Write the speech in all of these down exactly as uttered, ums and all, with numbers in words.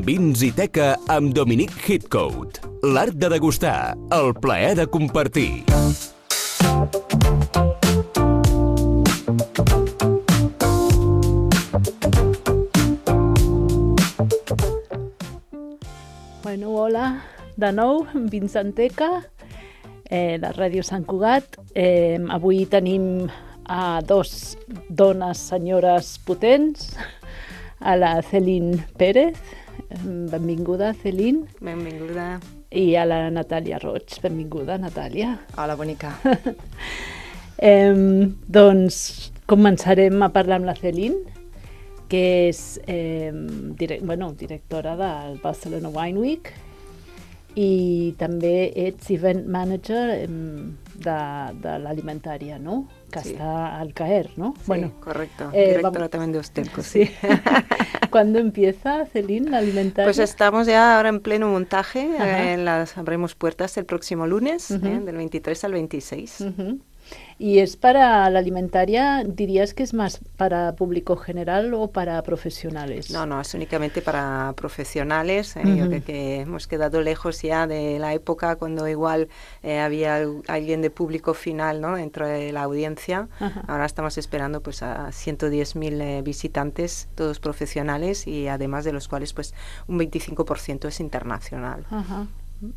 Vins i teca amb Dominic Heathcote. L'art de degustar, el plaer de compartir. Bueno, hola, de nou, Vins en teca, eh, la Ràdio Sant Cugat. Eh, avui tenim a dos dones senyores potents, a la Celine Pérez, benvinguda Celine. Benvinguda. I a la Natàlia Roig, benvinguda Natàlia. Hola, bonica. eh, doncs començarem a parlar amb la Celine, que és eh, direct, bueno, directora del Barcelona Wine Week i també ets event manager eh, de, de l'alimentària, no? Que sí. Està al Caer, ¿no? Sí, bueno, correcto. Eh, Directora también de Ostelco, sí. sí. ¿Cuándo empieza, Celine, la alimentaria? Pues estamos ya ahora en pleno montaje. Eh, las abrimos puertas el próximo lunes, uh-huh. eh, del veintitrés al veintiséis. Uh-huh. ¿Y es para la alimentaria, dirías que es más para público general o para profesionales? No, no, es únicamente para profesionales. Eh, uh-huh. Yo creo que hemos quedado lejos ya de la época cuando igual eh, había alguien de público final, ¿no?, dentro de la audiencia. Uh-huh. Ahora estamos esperando pues a ciento diez mil eh, visitantes, todos profesionales, y además de los cuales pues un veinticinco por ciento es internacional. Uh-huh.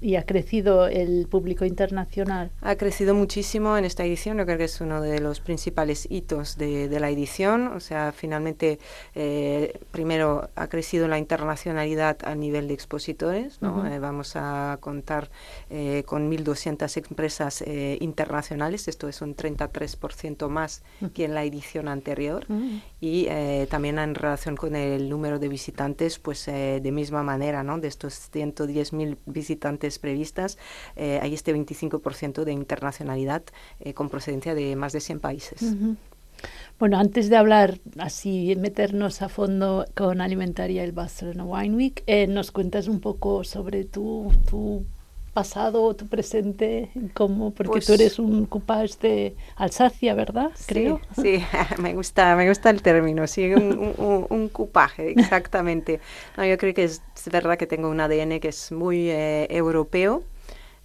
¿Y ha crecido el público internacional? Ha crecido muchísimo en esta edición. Yo creo que es uno de los principales hitos de, de la edición. O sea, finalmente, eh, primero ha crecido la internacionalidad a nivel de expositores, ¿no? Uh-huh. Eh, vamos a contar eh, con mil doscientas empresas eh, internacionales. Esto es un treinta y tres por ciento más uh-huh. que en la edición anterior. Uh-huh. Y eh, también en relación con el número de visitantes, pues eh, de misma manera, ¿no? De estos ciento diez mil visitantes previstas, eh, hay este veinticinco por ciento de internacionalidad eh, con procedencia de más de cien países. Uh-huh. Bueno, antes de hablar así, meternos a fondo con Alimentaria y el Barcelona Wine Week, eh, nos cuentas un poco sobre tu, tu pasado, tu presente, cómo, porque pues, tú eres un coupage de Alsacia, ¿verdad? Sí, creo. Sí, me gusta, me gusta el término, sí, un, un, un coupaje, exactamente. No, yo creo que es, es verdad que tengo un A D N que es muy eh, europeo.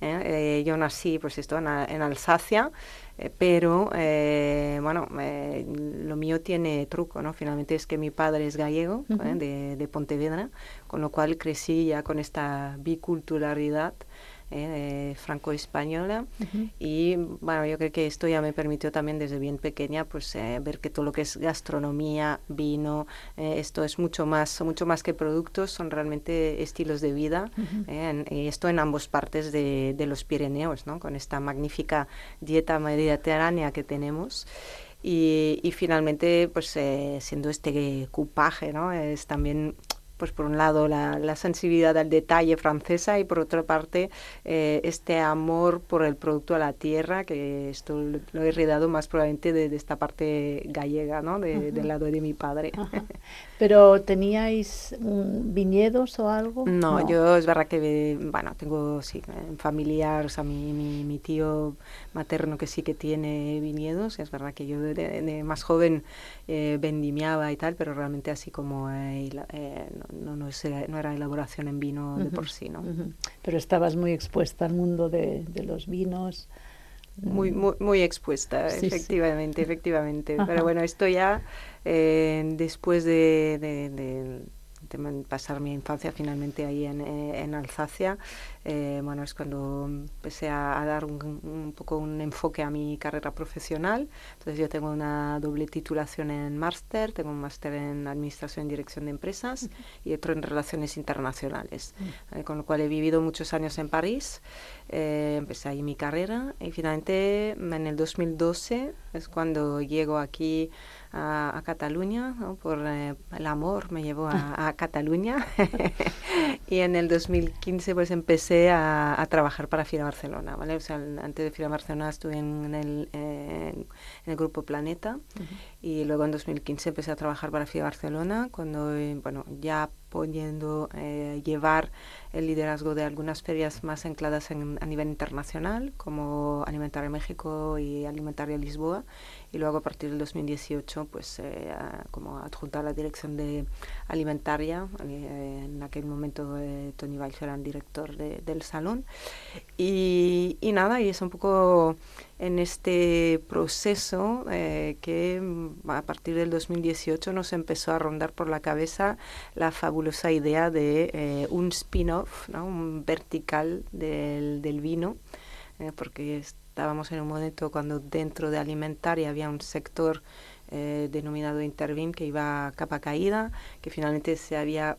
¿eh? Eh, yo nací, pues esto, en, en Alsacia, eh, pero, eh, bueno, eh, lo mío tiene truco, ¿no? Finalmente es que mi padre es gallego, uh-huh. ¿eh? de, de Pontevedra, con lo cual crecí ya con esta biculturalidad Eh, franco-española. Uh-huh. Y bueno, yo creo que esto ya me permitió también desde bien pequeña pues eh, ver que todo lo que es gastronomía, vino, eh, esto es mucho más, mucho más que productos, son realmente estilos de vida. Uh-huh. eh, en, y esto en ambas partes de, de los Pirineos, ¿no?, con esta magnífica dieta mediterránea que tenemos. Y, y finalmente, pues eh, siendo este coupaje, ¿no?, es también, pues por un lado la, la sensibilidad al detalle francesa y por otra parte eh, este amor por el producto a la tierra, que esto lo, lo he heredado más probablemente de, de esta parte gallega, ¿no?, de, uh-huh. del lado de mi padre. Uh-huh. ¿Pero teníais um, viñedos o algo? No, no, yo es verdad que, bueno, tengo sí, familiar, o sea, mi, mi, mi tío materno que sí que tiene viñedos. Es verdad que yo de, de más joven eh, vendimiaba y tal, pero realmente así como eh, eh, no, no, es, no era elaboración en vino uh-huh. de por sí, ¿no? Uh-huh. Pero estabas muy expuesta al mundo de, de los vinos. Muy, muy, muy expuesta, sí, efectivamente, sí. efectivamente. Ajá. Pero bueno, esto ya eh, después de, de, de, de pasar mi infancia finalmente ahí en, en Alsacia, eh, bueno, es cuando empecé a, a dar un, un poco un enfoque a mi carrera profesional. Entonces yo tengo una doble titulación en máster, tengo un máster en Administración y Dirección de Empresas uh-huh. y otro en Relaciones Internacionales, uh-huh. eh, con lo cual he vivido muchos años en París. Eh, empecé ahí mi carrera y finalmente en el dos mil doce es cuando llego aquí a, a Cataluña, ¿no? Por eh, el amor me llevó a, a Cataluña y en el dos mil quince pues empecé a, a trabajar para Fira Barcelona, ¿vale? O sea, antes de Fira Barcelona estuve en el, eh, en el grupo Planeta uh-huh. y luego en dos mil quince empecé a trabajar para Fira Barcelona cuando, eh, bueno, ya pudiendo eh, llevar el liderazgo de algunas ferias más ancladas en, a nivel internacional, como Alimentaria México y Alimentaria Lisboa, y luego a partir del dos mil dieciocho, pues eh, a, como adjuntar la dirección de Alimentaria, eh, en aquel momento momento eh, Tony Valls era el director de, del salón. Y, y nada, y es un poco en este proceso eh, que a partir del dos mil dieciocho nos empezó a rondar por la cabeza la fabulosa idea de eh, un spin-off, ¿no? Un vertical del, del vino, eh, porque estábamos en un momento cuando dentro de alimentaria había un sector eh, denominado Intervin que iba a capa caída, que finalmente se había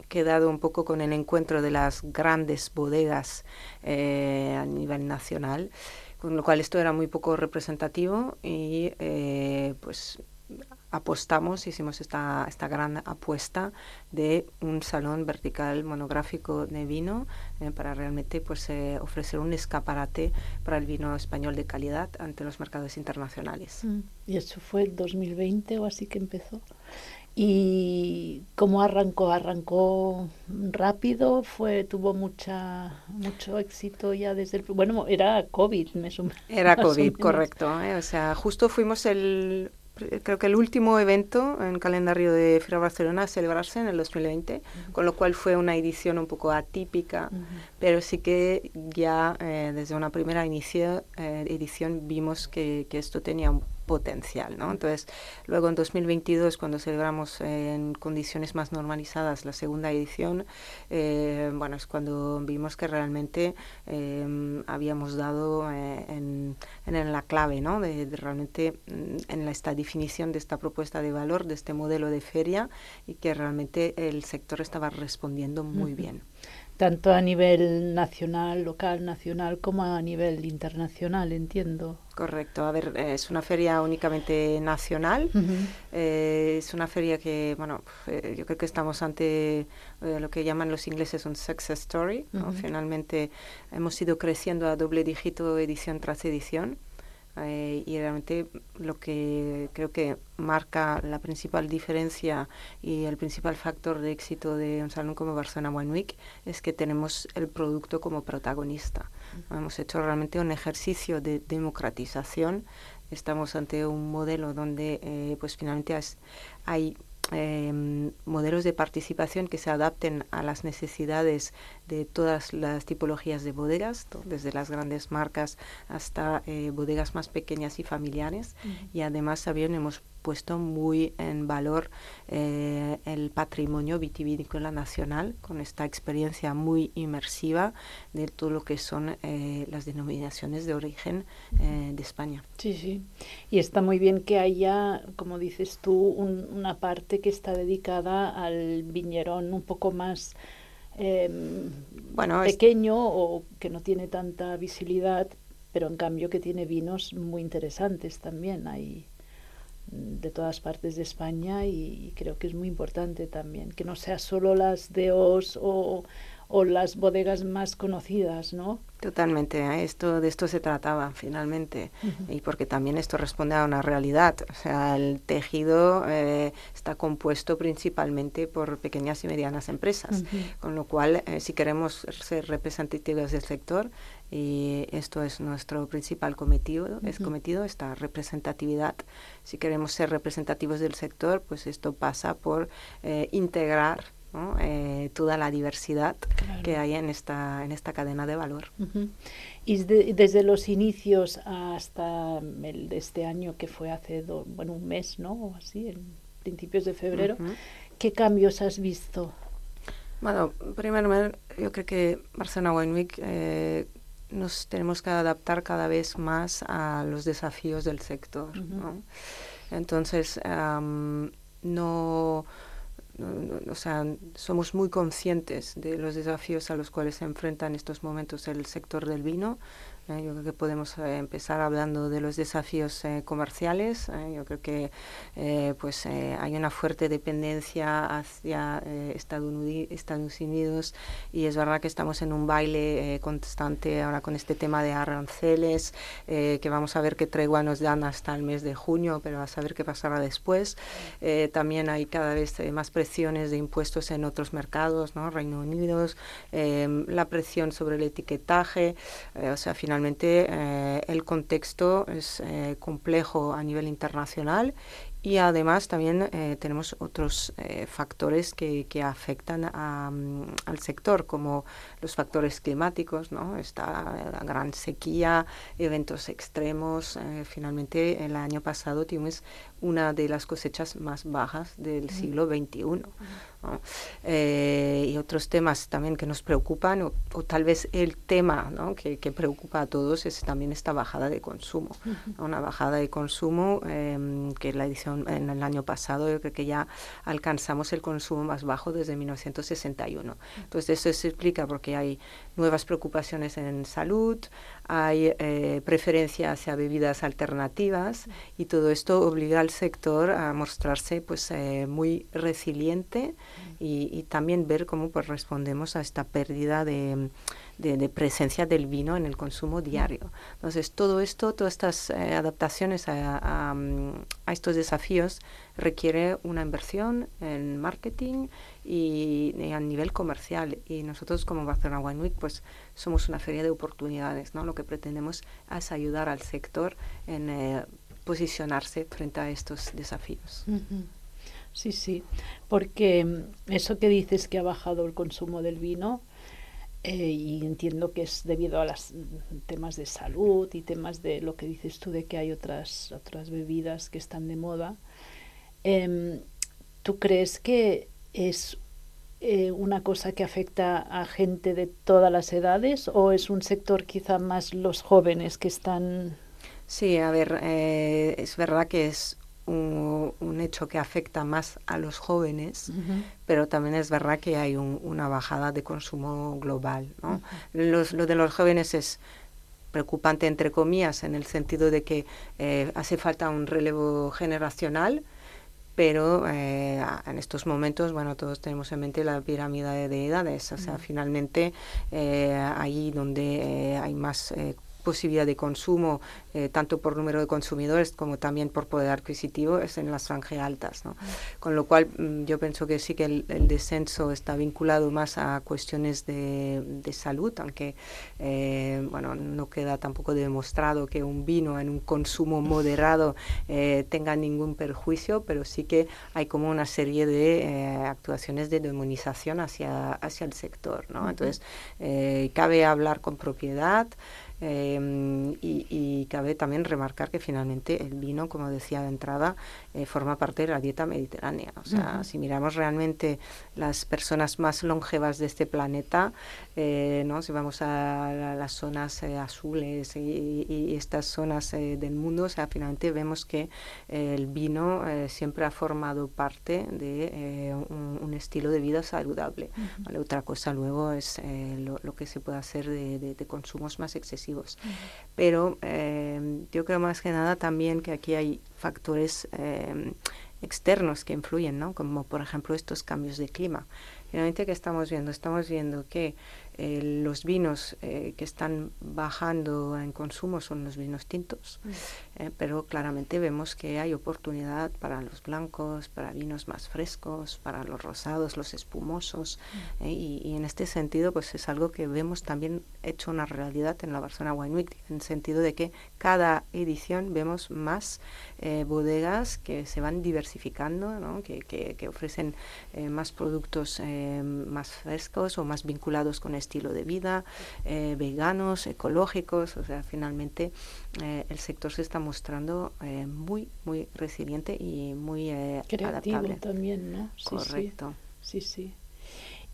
quedado un poco con el encuentro de las grandes bodegas eh, a nivel nacional, con lo cual esto era muy poco representativo y eh, pues apostamos, hicimos esta, esta gran apuesta de un salón vertical monográfico de vino eh, para realmente pues, eh, ofrecer un escaparate para el vino español de calidad ante los mercados internacionales. Mm. Y eso fue el dos mil veinte o así que empezó. ¿Y cómo arrancó? ¿Arrancó rápido? Fue Tuvo mucha mucho éxito ya desde el... Bueno, era COVID, me sumo. Era COVID, correcto. ¿eh? O sea, justo fuimos el... creo que el último evento en calendario de Fira Barcelona a celebrarse en el dos mil veinte, uh-huh. con lo cual fue una edición un poco atípica, uh-huh. pero sí que ya eh, desde una primera inicio, eh, edición vimos que, que esto tenía un potencial, ¿no? Entonces, luego en dos mil veintidós, cuando celebramos eh, en condiciones más normalizadas la segunda edición, eh, bueno, es cuando vimos que realmente eh, habíamos dado eh, en, en la clave, ¿no? De, de realmente en la, esta definición de esta propuesta de valor, de este modelo de feria, y que realmente el sector estaba respondiendo muy uh-huh. bien. Tanto a nivel nacional, local, nacional, como a nivel internacional, entiendo. Correcto. A ver, es una feria únicamente nacional. Uh-huh. Eh, es una feria que, bueno, eh, yo creo que estamos ante eh, lo que llaman los ingleses un success story, ¿no? Uh-huh. Finalmente hemos ido creciendo a doble dígito edición tras edición. Eh, y realmente lo que creo que marca la principal diferencia y el principal factor de éxito de un salón como Barcelona Wine Week es que tenemos el producto como protagonista. Uh-huh. Hemos hecho realmente un ejercicio de democratización. Estamos ante un modelo donde eh, pues finalmente has, hay Eh, modelos de participación que se adapten a las necesidades de todas las tipologías de bodegas, desde las grandes marcas hasta eh, bodegas más pequeñas y familiares. Uh-huh. Y además también hemos puesto muy en valor eh, el patrimonio vitivinícola nacional, con esta experiencia muy inmersiva de todo lo que son eh, las denominaciones de origen eh, de España. Sí, sí. Y está muy bien que haya, como dices tú, un, una parte que está dedicada al viñerón un poco más eh, bueno, pequeño es... o que no tiene tanta visibilidad, pero en cambio que tiene vinos muy interesantes también. Hay de todas partes de España y creo que es muy importante también que no sea solo las D Os o, o las bodegas más conocidas, ¿no? Totalmente, ¿eh? esto de esto se trataba finalmente. Uh-huh. Y porque también esto responde a una realidad, o sea, el tejido eh, está compuesto principalmente por pequeñas y medianas empresas, uh-huh. con lo cual eh, si queremos ser representativos del sector, y esto es nuestro principal cometido, uh-huh. es cometido esta representatividad. Si queremos ser representativos del sector, pues esto pasa por eh, integrar, ¿no? eh, toda la diversidad claro. que hay en esta en esta cadena de valor. Uh-huh. Y de, desde los inicios hasta el de este año, que fue hace do, bueno un mes, ¿no? O así, en principios de febrero, uh-huh. ¿qué cambios has visto? Bueno, primero yo creo que Barcelona Wine Week eh, nos tenemos que adaptar cada vez más a los desafíos del sector, uh-huh. ¿no? Entonces, um, no... o sea, somos muy conscientes de los desafíos a los cuales se enfrenta en estos momentos el sector del vino. Eh, yo creo que podemos eh, empezar hablando de los desafíos eh, comerciales. Eh, yo creo que eh, pues eh, hay una fuerte dependencia hacia eh, Estados Unidos y es verdad que estamos en un baile eh, constante ahora con este tema de aranceles, eh, que vamos a ver qué tregua nos dan hasta el mes de junio, pero a saber qué pasará después. Eh, también hay cada vez eh, más presiones de impuestos en otros mercados, ¿no? Reino Unido, eh, la presión sobre el etiquetaje, eh, o sea, finalmente eh, el contexto es eh, complejo a nivel internacional Y además también eh, tenemos otros eh, factores que, que afectan a, um, al sector, como los factores climáticos, ¿no? Está la gran sequía, eventos extremos. Eh, finalmente, el año pasado tuvimos una de las cosechas más bajas del uh-huh. siglo veintiuno. Uh-huh. ¿no? Eh, y otros temas también que nos preocupan, o, o tal vez el tema, ¿no? que, que preocupa a todos, es también esta bajada de consumo. Uh-huh. ¿no? Una bajada de consumo eh, que la edición en el año pasado, yo creo que ya alcanzamos el consumo más bajo desde mil novecientos sesenta y uno. Entonces eso se explica porque hay nuevas preocupaciones en salud, hay eh, preferencia hacia bebidas alternativas y todo esto obliga al sector a mostrarse pues eh, muy resiliente y, y también ver cómo pues respondemos a esta pérdida de De, de presencia del vino en el consumo diario. Entonces, todo esto, todas estas eh, adaptaciones a, a, a estos desafíos requiere una inversión en marketing y, y a nivel comercial. Y nosotros, como Barcelona Wine Week, pues somos una feria de oportunidades, ¿no? Lo que pretendemos es ayudar al sector en eh, posicionarse frente a estos desafíos. Uh-huh. Sí, sí, porque eso que dices que ha bajado el consumo del vino, Eh, y entiendo que es debido a los temas de salud y temas de lo que dices tú de que hay otras otras bebidas que están de moda. Eh, ¿Tú crees que es eh, una cosa que afecta a gente de todas las edades o es un sector quizá más los jóvenes que están? Sí, a ver, eh, es verdad que es Un, un hecho que afecta más a los jóvenes, uh-huh. pero también es verdad que hay un, una bajada de consumo global, ¿no? Uh-huh. Los, lo de los jóvenes es preocupante, entre comillas, en el sentido de que eh, hace falta un relevo generacional, pero eh, en estos momentos, bueno, todos tenemos en mente la pirámide de edades, o sea, uh-huh. finalmente eh, ahí donde eh, hay más eh, posibilidad de consumo, eh, tanto por número de consumidores como también por poder adquisitivo, es en las franjas altas, ¿no? Con lo cual mm, yo pienso que sí que el, el descenso está vinculado más a cuestiones de, de salud, aunque eh, bueno, no queda tampoco demostrado que un vino en un consumo moderado eh, tenga ningún perjuicio, pero sí que hay como una serie de eh, actuaciones de demonización hacia, hacia el sector, ¿no? Uh-huh. Entonces, eh, cabe hablar con propiedad. Eh, y, y cabe también remarcar que finalmente el vino, como decía de entrada, eh, forma parte de la dieta mediterránea. O sea, uh-huh. si miramos realmente las personas más longevas de este planeta, eh, ¿no? Si vamos a, a las zonas eh, azules y, y, y estas zonas eh, del mundo, o sea, finalmente vemos que eh, el vino eh, siempre ha formado parte de eh, un, un estilo de vida saludable. Uh-huh. ¿Vale? Otra cosa luego es eh, lo, lo que se puede hacer de, de, de consumos más excesivos. Uh-huh. Pero eh, yo creo más que nada también que aquí hay factores eh, externos que influyen, ¿no? Como por ejemplo estos cambios de clima. Finalmente, ¿qué estamos viendo? Estamos viendo que eh, los vinos eh, que están bajando en consumo son los vinos tintos, mm. eh, pero claramente vemos que hay oportunidad para los blancos, para vinos más frescos, para los rosados, los espumosos, mm. eh, y, y en este sentido pues es algo que vemos también hecho una realidad en la Barcelona Wine Week, en el sentido de que cada edición vemos más eh, bodegas que se van diversificando, ¿no? que, que, que ofrecen eh, más productos eh, más frescos o más vinculados con estilo de vida, eh, veganos, ecológicos. O sea, finalmente eh, el sector se está mostrando eh, muy, muy resiliente y muy eh, creativo adaptable. También, ¿no? Sí, correcto. Sí, sí, sí.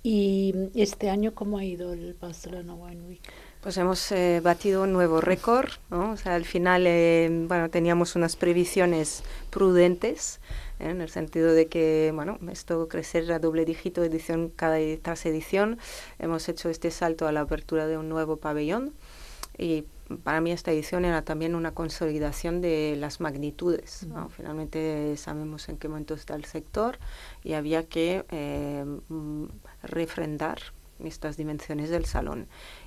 ¿Y este año cómo ha ido el Barcelona Wine Week? Pues hemos eh, batido un nuevo récord, ¿no? O sea, al final, eh, bueno, teníamos unas previsiones prudentes, ¿eh? En el sentido de que, bueno, esto crecer a doble dígito edición cada tras edición. Hemos hecho este salto a la apertura de un nuevo pabellón y para mí esta edición era también una consolidación de las magnitudes, ¿no? Finalmente sabemos en qué momento está el sector y había que eh, refrendar estas dimensiones del salón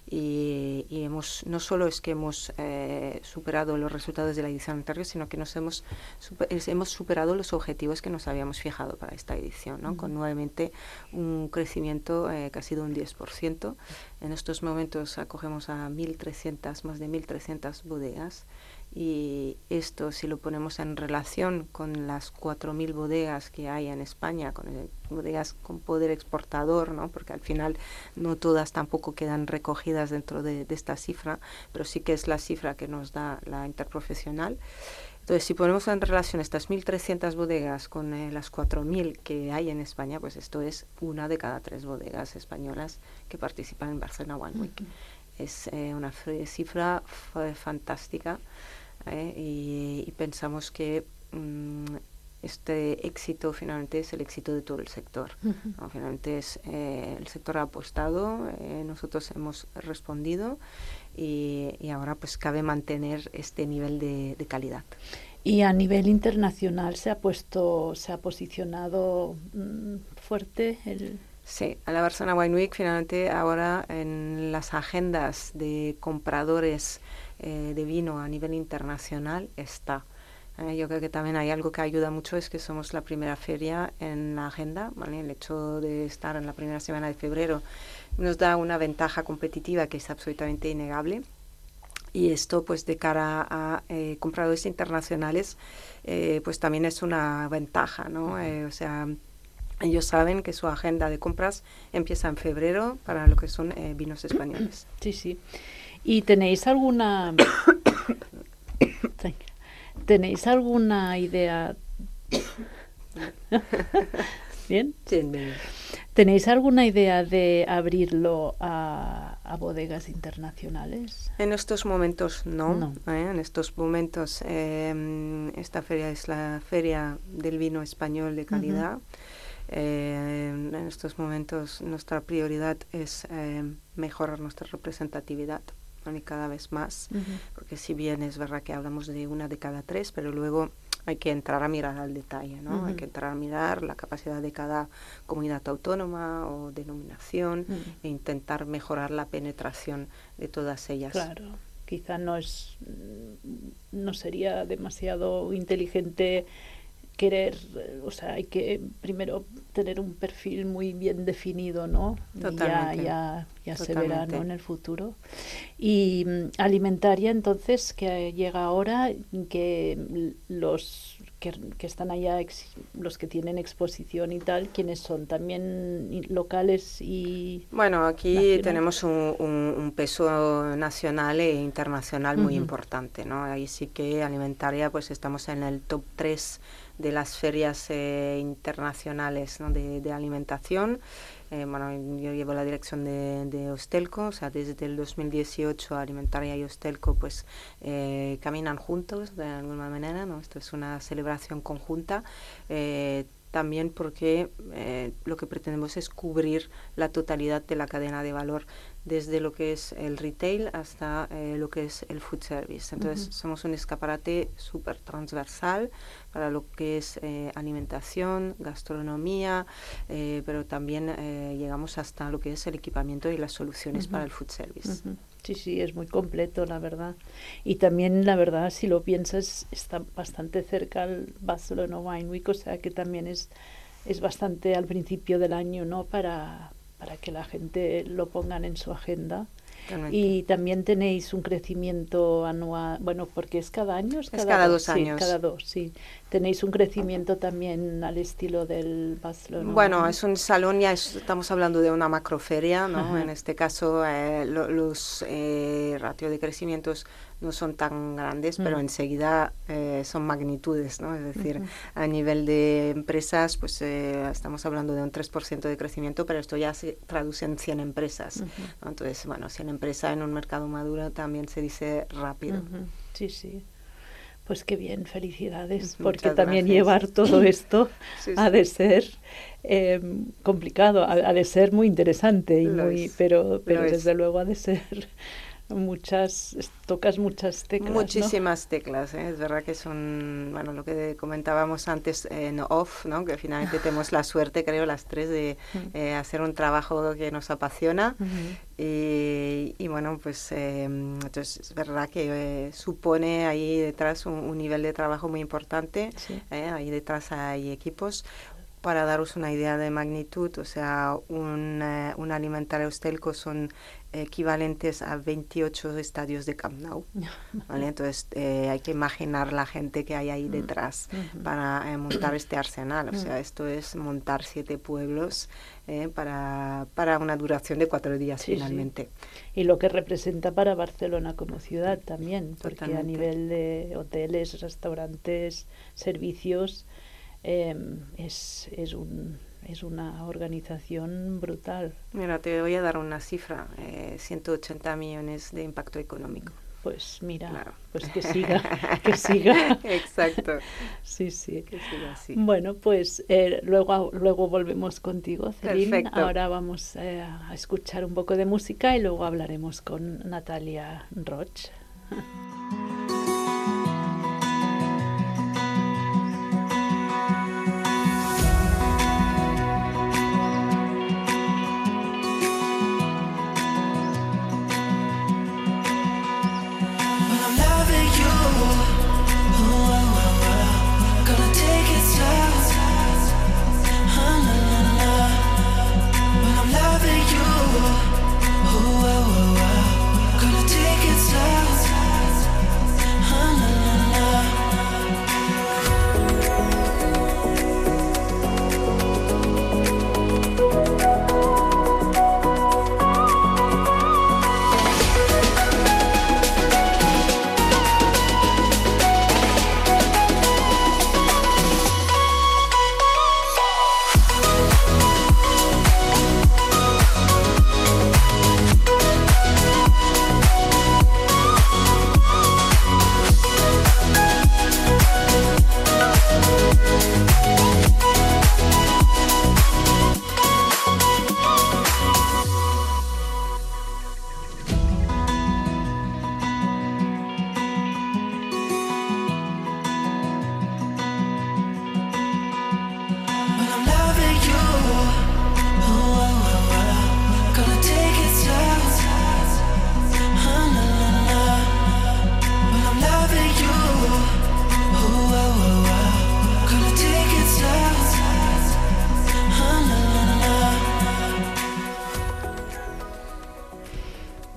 y, y hemos no solo es que hemos eh, superado los resultados de la edición anterior, sino que nos hemos super, hemos superado los objetivos que nos habíamos fijado para esta edición, ¿no? Uh-huh. Con nuevamente un crecimiento eh, casi de un diez por ciento. En estos momentos acogemos a mil trescientas, más de mil trescientas bodegas Y esto, si lo ponemos en relación con las cuatro mil bodegas que hay en España, con el, bodegas con poder exportador, ¿no? Porque al final no todas tampoco quedan recogidas dentro de, de esta cifra, pero sí que es la cifra que nos da la interprofesional. Entonces, si ponemos en relación estas mil trescientas bodegas con eh, las cuatro mil que hay en España, pues esto es una de cada tres bodegas españolas que participan en Barcelona Wine Week. Uh-huh. Es eh, una cifra f- fantástica eh, y, y pensamos que mm, este éxito finalmente es el éxito de todo el sector. Uh-huh. ¿no? Finalmente es, eh, el sector ha apostado, eh, nosotros hemos respondido. Y, y ahora pues cabe mantener este nivel de, de calidad. Y a nivel internacional se ha puesto, se ha posicionado mmm, fuerte el... Sí, a la Barcelona Wine Week finalmente ahora en las agendas de compradores eh, de vino a nivel internacional está. Eh, yo creo que también hay algo que ayuda mucho, es que somos la primera feria en la agenda, ¿vale? El hecho de estar en la primera semana de febrero nos da una ventaja competitiva que es absolutamente innegable. Y esto, pues, de cara a eh, compradores internacionales, eh, pues también es una ventaja, ¿no? Eh, o sea, ellos saben que su agenda de compras empieza en febrero para lo que son eh, vinos españoles. Sí, sí. ¿Y tenéis alguna... ¿Tenéis alguna idea? ¿Bien? Sí, bien. ¿Tenéis alguna idea de abrirlo a, a bodegas internacionales? En estos momentos no. no. ¿eh? En estos momentos eh, esta feria es la feria del vino español de calidad. Uh-huh. eh, en estos momentos nuestra prioridad es eh, mejorar nuestra representatividad. Y cada vez más, uh-huh. porque si bien es verdad que hablamos de una de cada tres, pero luego hay que entrar a mirar al detalle, ¿no? Uh-huh. Hay que entrar a mirar la capacidad de cada comunidad autónoma o denominación uh-huh. e intentar mejorar la penetración de todas ellas. Claro, quizá no es, no sería demasiado inteligente querer, o sea, hay que primero tener un perfil muy bien definido, ¿no? Totalmente. Y ya, ya, ya se verá, ¿no? En el futuro. Y um, alimentaria, entonces, que llega ahora, que los que, que están allá, ex, los que tienen exposición y tal, ¿quiénes son? ¿También locales y...? Bueno, aquí nacional? Tenemos un, un, un peso nacional e internacional muy uh-huh. importante, ¿no? Ahí sí que alimentaria, pues estamos en el top tres de las ferias eh, internacionales, ¿no? de, de alimentación. Eh, bueno, yo llevo la dirección de, de Hostelco, o sea, desde el dos mil dieciocho Alimentaria y Hostelco pues eh, caminan juntos de alguna manera, ¿no? Esto es una celebración conjunta. Eh, también porque eh, lo que pretendemos es cubrir la totalidad de la cadena de valor, desde lo que es el retail hasta eh, lo que es el food service. Entonces, uh-huh. somos un escaparate súper transversal para lo que es eh, alimentación, gastronomía, eh, pero también eh, llegamos hasta lo que es el equipamiento y las soluciones uh-huh. para el food service. Uh-huh. Sí, sí, es muy completo, la verdad. Y también, la verdad, si lo piensas, está bastante cerca al Barcelona Wine Week, o sea que también es, es bastante al principio del año, ¿no? Para, para que la gente lo pongan en su agenda. Realmente. Y también tenéis un crecimiento anual, bueno, porque es cada año, es cada, es cada dos, dos sí, años. Cada dos, sí. Tenéis un crecimiento también al estilo del Barcelona. Bueno, es un salón, ya es, estamos hablando de una macroferia, ¿no? Ajá. En este caso, eh, lo, los eh, ratios de crecimientos no son tan grandes, mm. pero enseguida eh, son magnitudes, ¿no? Es decir, uh-huh. a nivel de empresas, pues eh, estamos hablando de un tres por ciento de crecimiento, pero esto ya se traduce en cien empresas, uh-huh. ¿no? Entonces, bueno, cien empresas en un mercado maduro también se dice rápido. Uh-huh. Sí, sí. Pues qué bien, felicidades, Muchas porque también gracias. Llevar todo esto sí, sí. ha de ser eh, complicado, ha, ha de ser muy interesante, y Lo muy, es. pero, pero Lo desde es. luego ha de ser muchas, tocas muchas teclas, Muchísimas ¿no? teclas, ¿eh? Es verdad que son, bueno, lo que comentábamos antes en off, ¿no? Que finalmente tenemos la suerte, creo, las tres, de eh, hacer un trabajo que nos apasiona. Uh-huh. y, y bueno, pues eh, entonces es verdad que eh, supone ahí detrás un, un nivel de trabajo muy importante, sí. eh, ahí detrás hay equipos. para daros una idea de magnitud, o sea, un, eh, un alimentario Ustelco son equivalentes a veintiocho estadios de Camp Nou, ¿vale? Entonces eh, hay que imaginar la gente que hay ahí detrás mm. para eh, montar este arsenal, o sea, esto es montar siete pueblos eh, para, para una duración de cuatro días sí, finalmente. Sí. Y lo que representa para Barcelona como ciudad también, porque Totalmente. A nivel de hoteles, restaurantes, servicios, eh, es, es un... es una organización brutal. Mira, te voy a dar una cifra, eh, ciento ochenta millones de impacto económico. Pues mira, claro. pues que siga, que siga. Exacto. Sí, sí. Que siga así. Bueno, pues eh, luego, luego volvemos contigo, Celine. Perfecto. Ahora vamos eh, a escuchar un poco de música y luego hablaremos con Natalia Roig.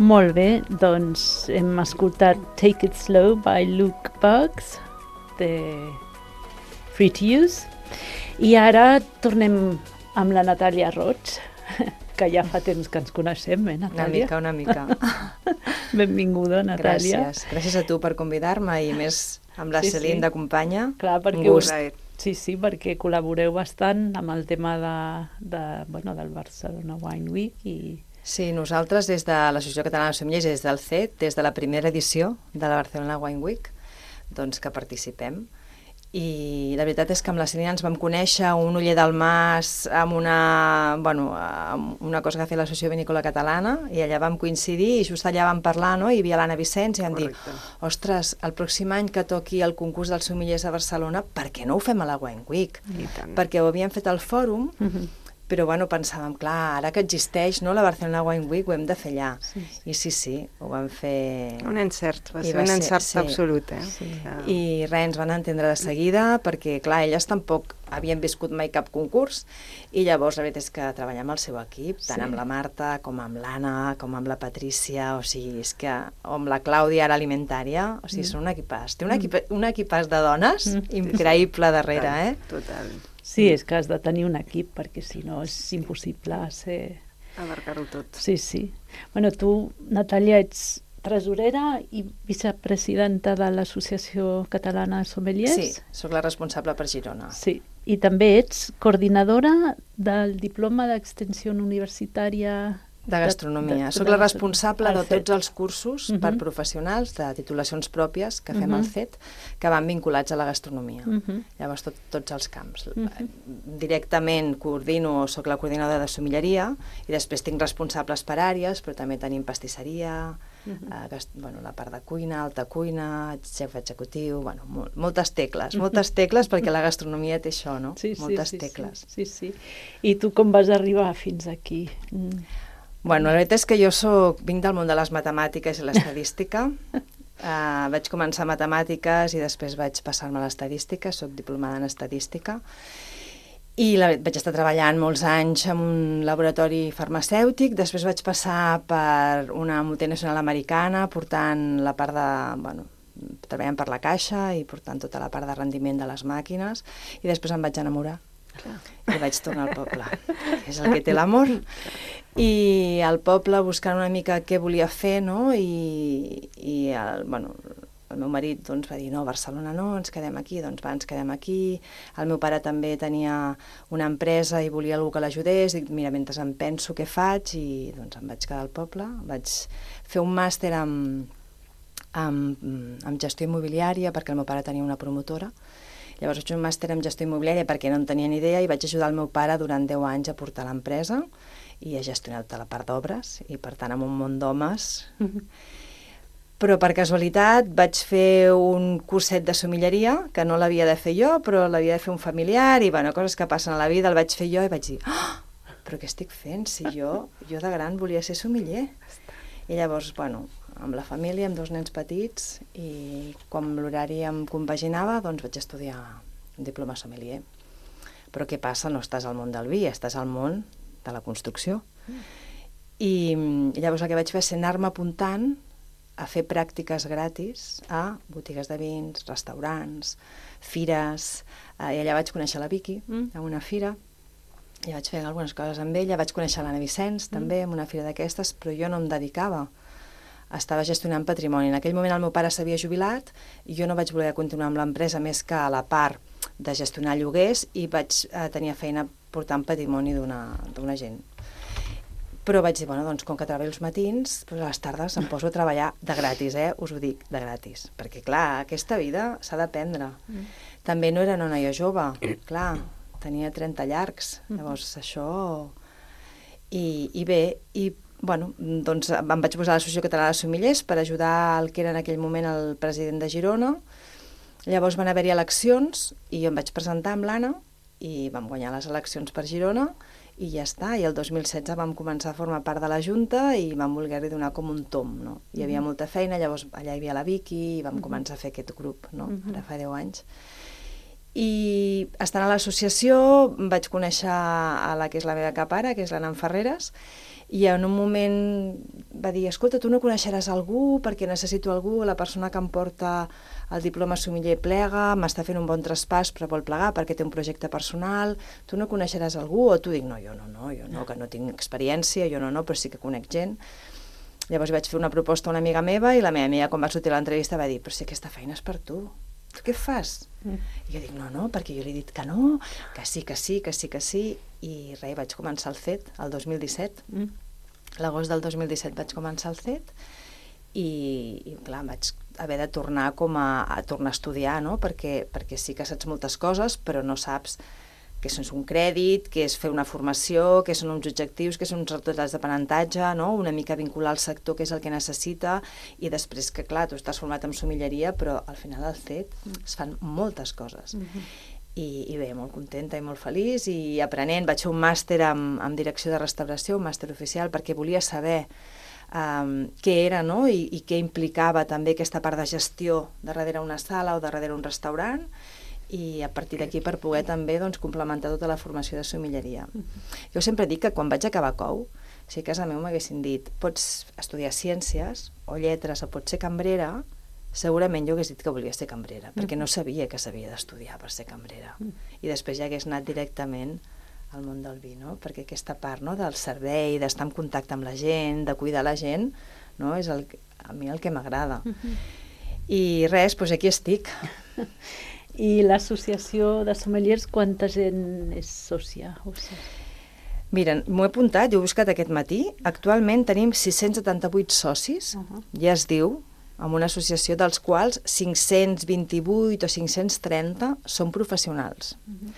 Molt bé, doncs hem escoltat Take It Slow by Luke Bugs de Free to Use i ara tornem amb la Natàlia Roig, que ja fa temps que ens coneixem, eh, Natàlia? Una mica, una mica. Benvinguda, Natàlia. Gràcies, gràcies a tu per convidar-me i més amb la sí, Celine sí. d'acompanya. Clar, perquè un gust. Sí, sí, perquè col·laboreu bastant amb el tema de, de, bueno, del Barcelona Wine Week i... Sí, nosaltres des de l'Associació Catalana de Sommeliers, des del C E T, des de la primera edició de la Barcelona Wine Week, doncs que participem. I la veritat és que amb la Celine ens vam conèixer un Oller del Mas amb una, bueno, amb una cosa que ha fet l'Associació Vinícola Catalana i allà vam coincidir i just allà vam parlar, no? Hi havia l'Anna Vicenç i vam Correcte. dir, ostres, el pròxim any que toqui el concurs dels sommeliers a Barcelona, per què no ho fem a la Wine Week? Perquè ho havíem fet al fòrum, uh-huh. però bueno, pensàvem, clar, ara que existeix no, la Barcelona Wine Week, ho hem de fer allà. Sí, sí. I sí, sí, ho vam fer... Un encert, va ser va un ser, encert sí. absolut, eh? Sí. Ah. I res, ens van entendre de seguida, perquè, clar, elles tampoc havien viscut mai cap concurs, i llavors la veritat és que treballar amb el seu equip, tant sí. amb la Marta, com amb l'Anna, com amb la Patrícia, o sigui, és que, o amb la Clàudia, ara alimentària, o sigui, mm. són un equipàs. Té un, equip, un equipàs de dones mm. increïble darrere, eh? Total. Sí, és que has de tenir un equip, perquè si no és impossible ser... abarcar-ho tot. Sí, sí. Bueno, tu, Natàlia, ets tresorera i vicepresidenta de l'Associació Catalana de Sommeliers. Sí, sóc la responsable per Girona. Sí, i també ets coordinadora del diploma d'extensió universitària... De gastronomia. Soc la responsable de tots els cursos uh-huh. per professionals de titulacions pròpies que fem uh-huh. al C E T, que van vinculats a la gastronomia. Uh-huh. Llavors, tot, tots els camps. Uh-huh. Directament coordino, soc la coordinadora de sommelleria, i després tinc responsables per àrees, però també tenim pastisseria, uh-huh. eh, gast... bueno, la part de cuina, alta cuina, xef executiu, bueno, mol moltes tecles, uh-huh. moltes tecles, perquè la gastronomia té això, no? Sí, moltes sí, tecles. Sí, sí, sí. I tu com vas arribar fins aquí? Mm. Bueno, la veritat és que jo soc, vinc del món de les matemàtiques i l'estadística. uh, vaig començar matemàtiques i després vaig passar-me a l'estadística, soc diplomada en estadística. I la, vaig estar treballant molts anys en un laboratori farmacèutic, després vaig passar per una multinacional americana portant la part de, bueno, treballant per la caixa i portant tota la part de rendiment de les màquines, i després em vaig enamorar. Clar. I vaig tornar al poble, que és el que té l'amor. I al poble buscant una mica què volia fer, no? I, i el, bueno, el meu marit doncs, va dir, no, Barcelona no, ens quedem aquí, doncs va, ens quedem aquí. El meu pare també tenia una empresa i volia algú que l'ajudés. Dic, mira, mentre em penso què faig, i doncs em vaig quedar al poble. Vaig fer un màster amb, amb, amb gestió immobiliària, perquè el meu pare tenia una promotora. Llavors vaig fer un màster en gestió immobiliària perquè no en tenia ni idea, i vaig ajudar el meu pare durant deu anys a portar l'empresa i a gestionar tota la part d'obres, i per tant amb un munt d'homes. Però per casualitat vaig fer un curset de somilleria, que no l'havia de fer jo, però l'havia de fer un familiar, i bueno, coses que passen a la vida, el vaig fer jo i vaig dir, oh, però què estic fent? Si jo, jo de gran volia ser somiller. I llavors, bueno, amb la família, amb dos nens petits, i quan l'horari em compaginava, doncs vaig estudiar un diploma sommelier. Però què passa? No estàs al món del vi, estàs al món de la construcció. I llavors el que vaig fer és anar-me apuntant a fer pràctiques gratis a botigues de vins, restaurants, fires, eh, i allà vaig conèixer la Vicky, mm. a una fira, i vaig fer algunes coses amb ella, vaig conèixer l'Anna Vicenç, mm. també, en una fira d'aquestes, però jo no em dedicava, estava gestionant patrimoni. En aquell moment el meu pare s'havia jubilat, i jo no vaig voler continuar amb l'empresa més que a la part de gestionar lloguers, i vaig eh, tenir feina portant patrimoni d'una d'una gent. Però vaig dir, bueno, doncs com que treballo els matins, doncs a les tardes em poso a treballar de gratis, eh? Us ho dic, de gratis. Perquè, clar, aquesta vida s'ha d'aprendre. Mm. També no era una noia jove, clar, tenia trenta llargs. Mm. Llavors, això... I, i bé, i, bueno, doncs em vaig posar a l'Associació Catalana de Sommeliers per ajudar el que era en aquell moment el president de Girona. Llavors van haver-hi eleccions i jo em vaig presentar amb l'Anna i vam guanyar les eleccions per Girona, i ja està, i el dos mil setze vam començar a formar part de la Junta i vam voler-li donar com un tom, no? Hi havia molta feina, llavors allà hi havia la Vicky i vam començar a fer aquest grup, no? Ara fa deu anys. I estant a l'associació vaig conèixer a la que és la meva capara, que és l'Anna Ferreres, i en un moment va dir, escolta, tu no coneixeràs algú perquè necessito algú, la persona que em porta el diploma sommelier plega, m'està fent un bon traspàs però vol plegar perquè té un projecte personal, tu no coneixeràs algú? O tu dic, no, jo no, no, jo no, que no tinc experiència, jo no, no, però sí que conec gent. Llavors vaig fer una proposta a una amiga meva i la meva amiga, quan va sortir l'entrevista, va dir, però si aquesta feina és per tu, tu què fas? Mm. I jo dic, no, no, perquè jo li he dit que no, que sí, que sí, que sí, que sí, i res, vaig començar el C E T el dos mil disset. Mm. L'agost del dos mil disset vaig començar el C E T i, i clar, vaig haver de tornar com a, a tornar a estudiar, no? Perquè, perquè sí que saps moltes coses, però no saps què és un crèdit, què és fer una formació, què són uns objectius, què són uns resultats d'aprenentatge, no? Una mica vincular al sector, què és el que necessita, i després que, clar, tu estàs format en somilleria, però al final al C E T es fan moltes coses. Mm-hmm. I, i bé, molt contenta i molt feliç, i aprenent. Vaig fer un màster en, en direcció de restauració, un màster oficial, perquè volia saber um, què era, no? I, i què implicava també aquesta part de gestió de darrere una sala o de darrere un restaurant, i a partir d'aquí per poder també doncs, complementar tota la formació de somilleria. Mm-hmm. Jo sempre dic que quan vaig acabar Cou, si a casa meu m'haguessin dit pots estudiar ciències o lletres o pots ser cambrera, segurament jo hagués dit que volia ser cambrera, mm. perquè no sabia que s'havia d'estudiar per ser cambrera. Mm. I després ja hagués anat directament al món del vi, no? Perquè aquesta part, no, del servei, d'estar en contacte amb la gent, de cuidar la gent, no, és el, a mi el que m'agrada. Mm-hmm. I res, doncs aquí estic. I l'associació de sommeliers, quanta gent és sòcia? O sigui... Mira, m'ho he apuntat, jo he buscat aquest matí. Actualment tenim sis-cents setanta-vuit socis, uh-huh. ja es diu, amb una associació dels quals cinc-cents vint-i-vuit o cinc-cents trenta són professionals. Uh-huh.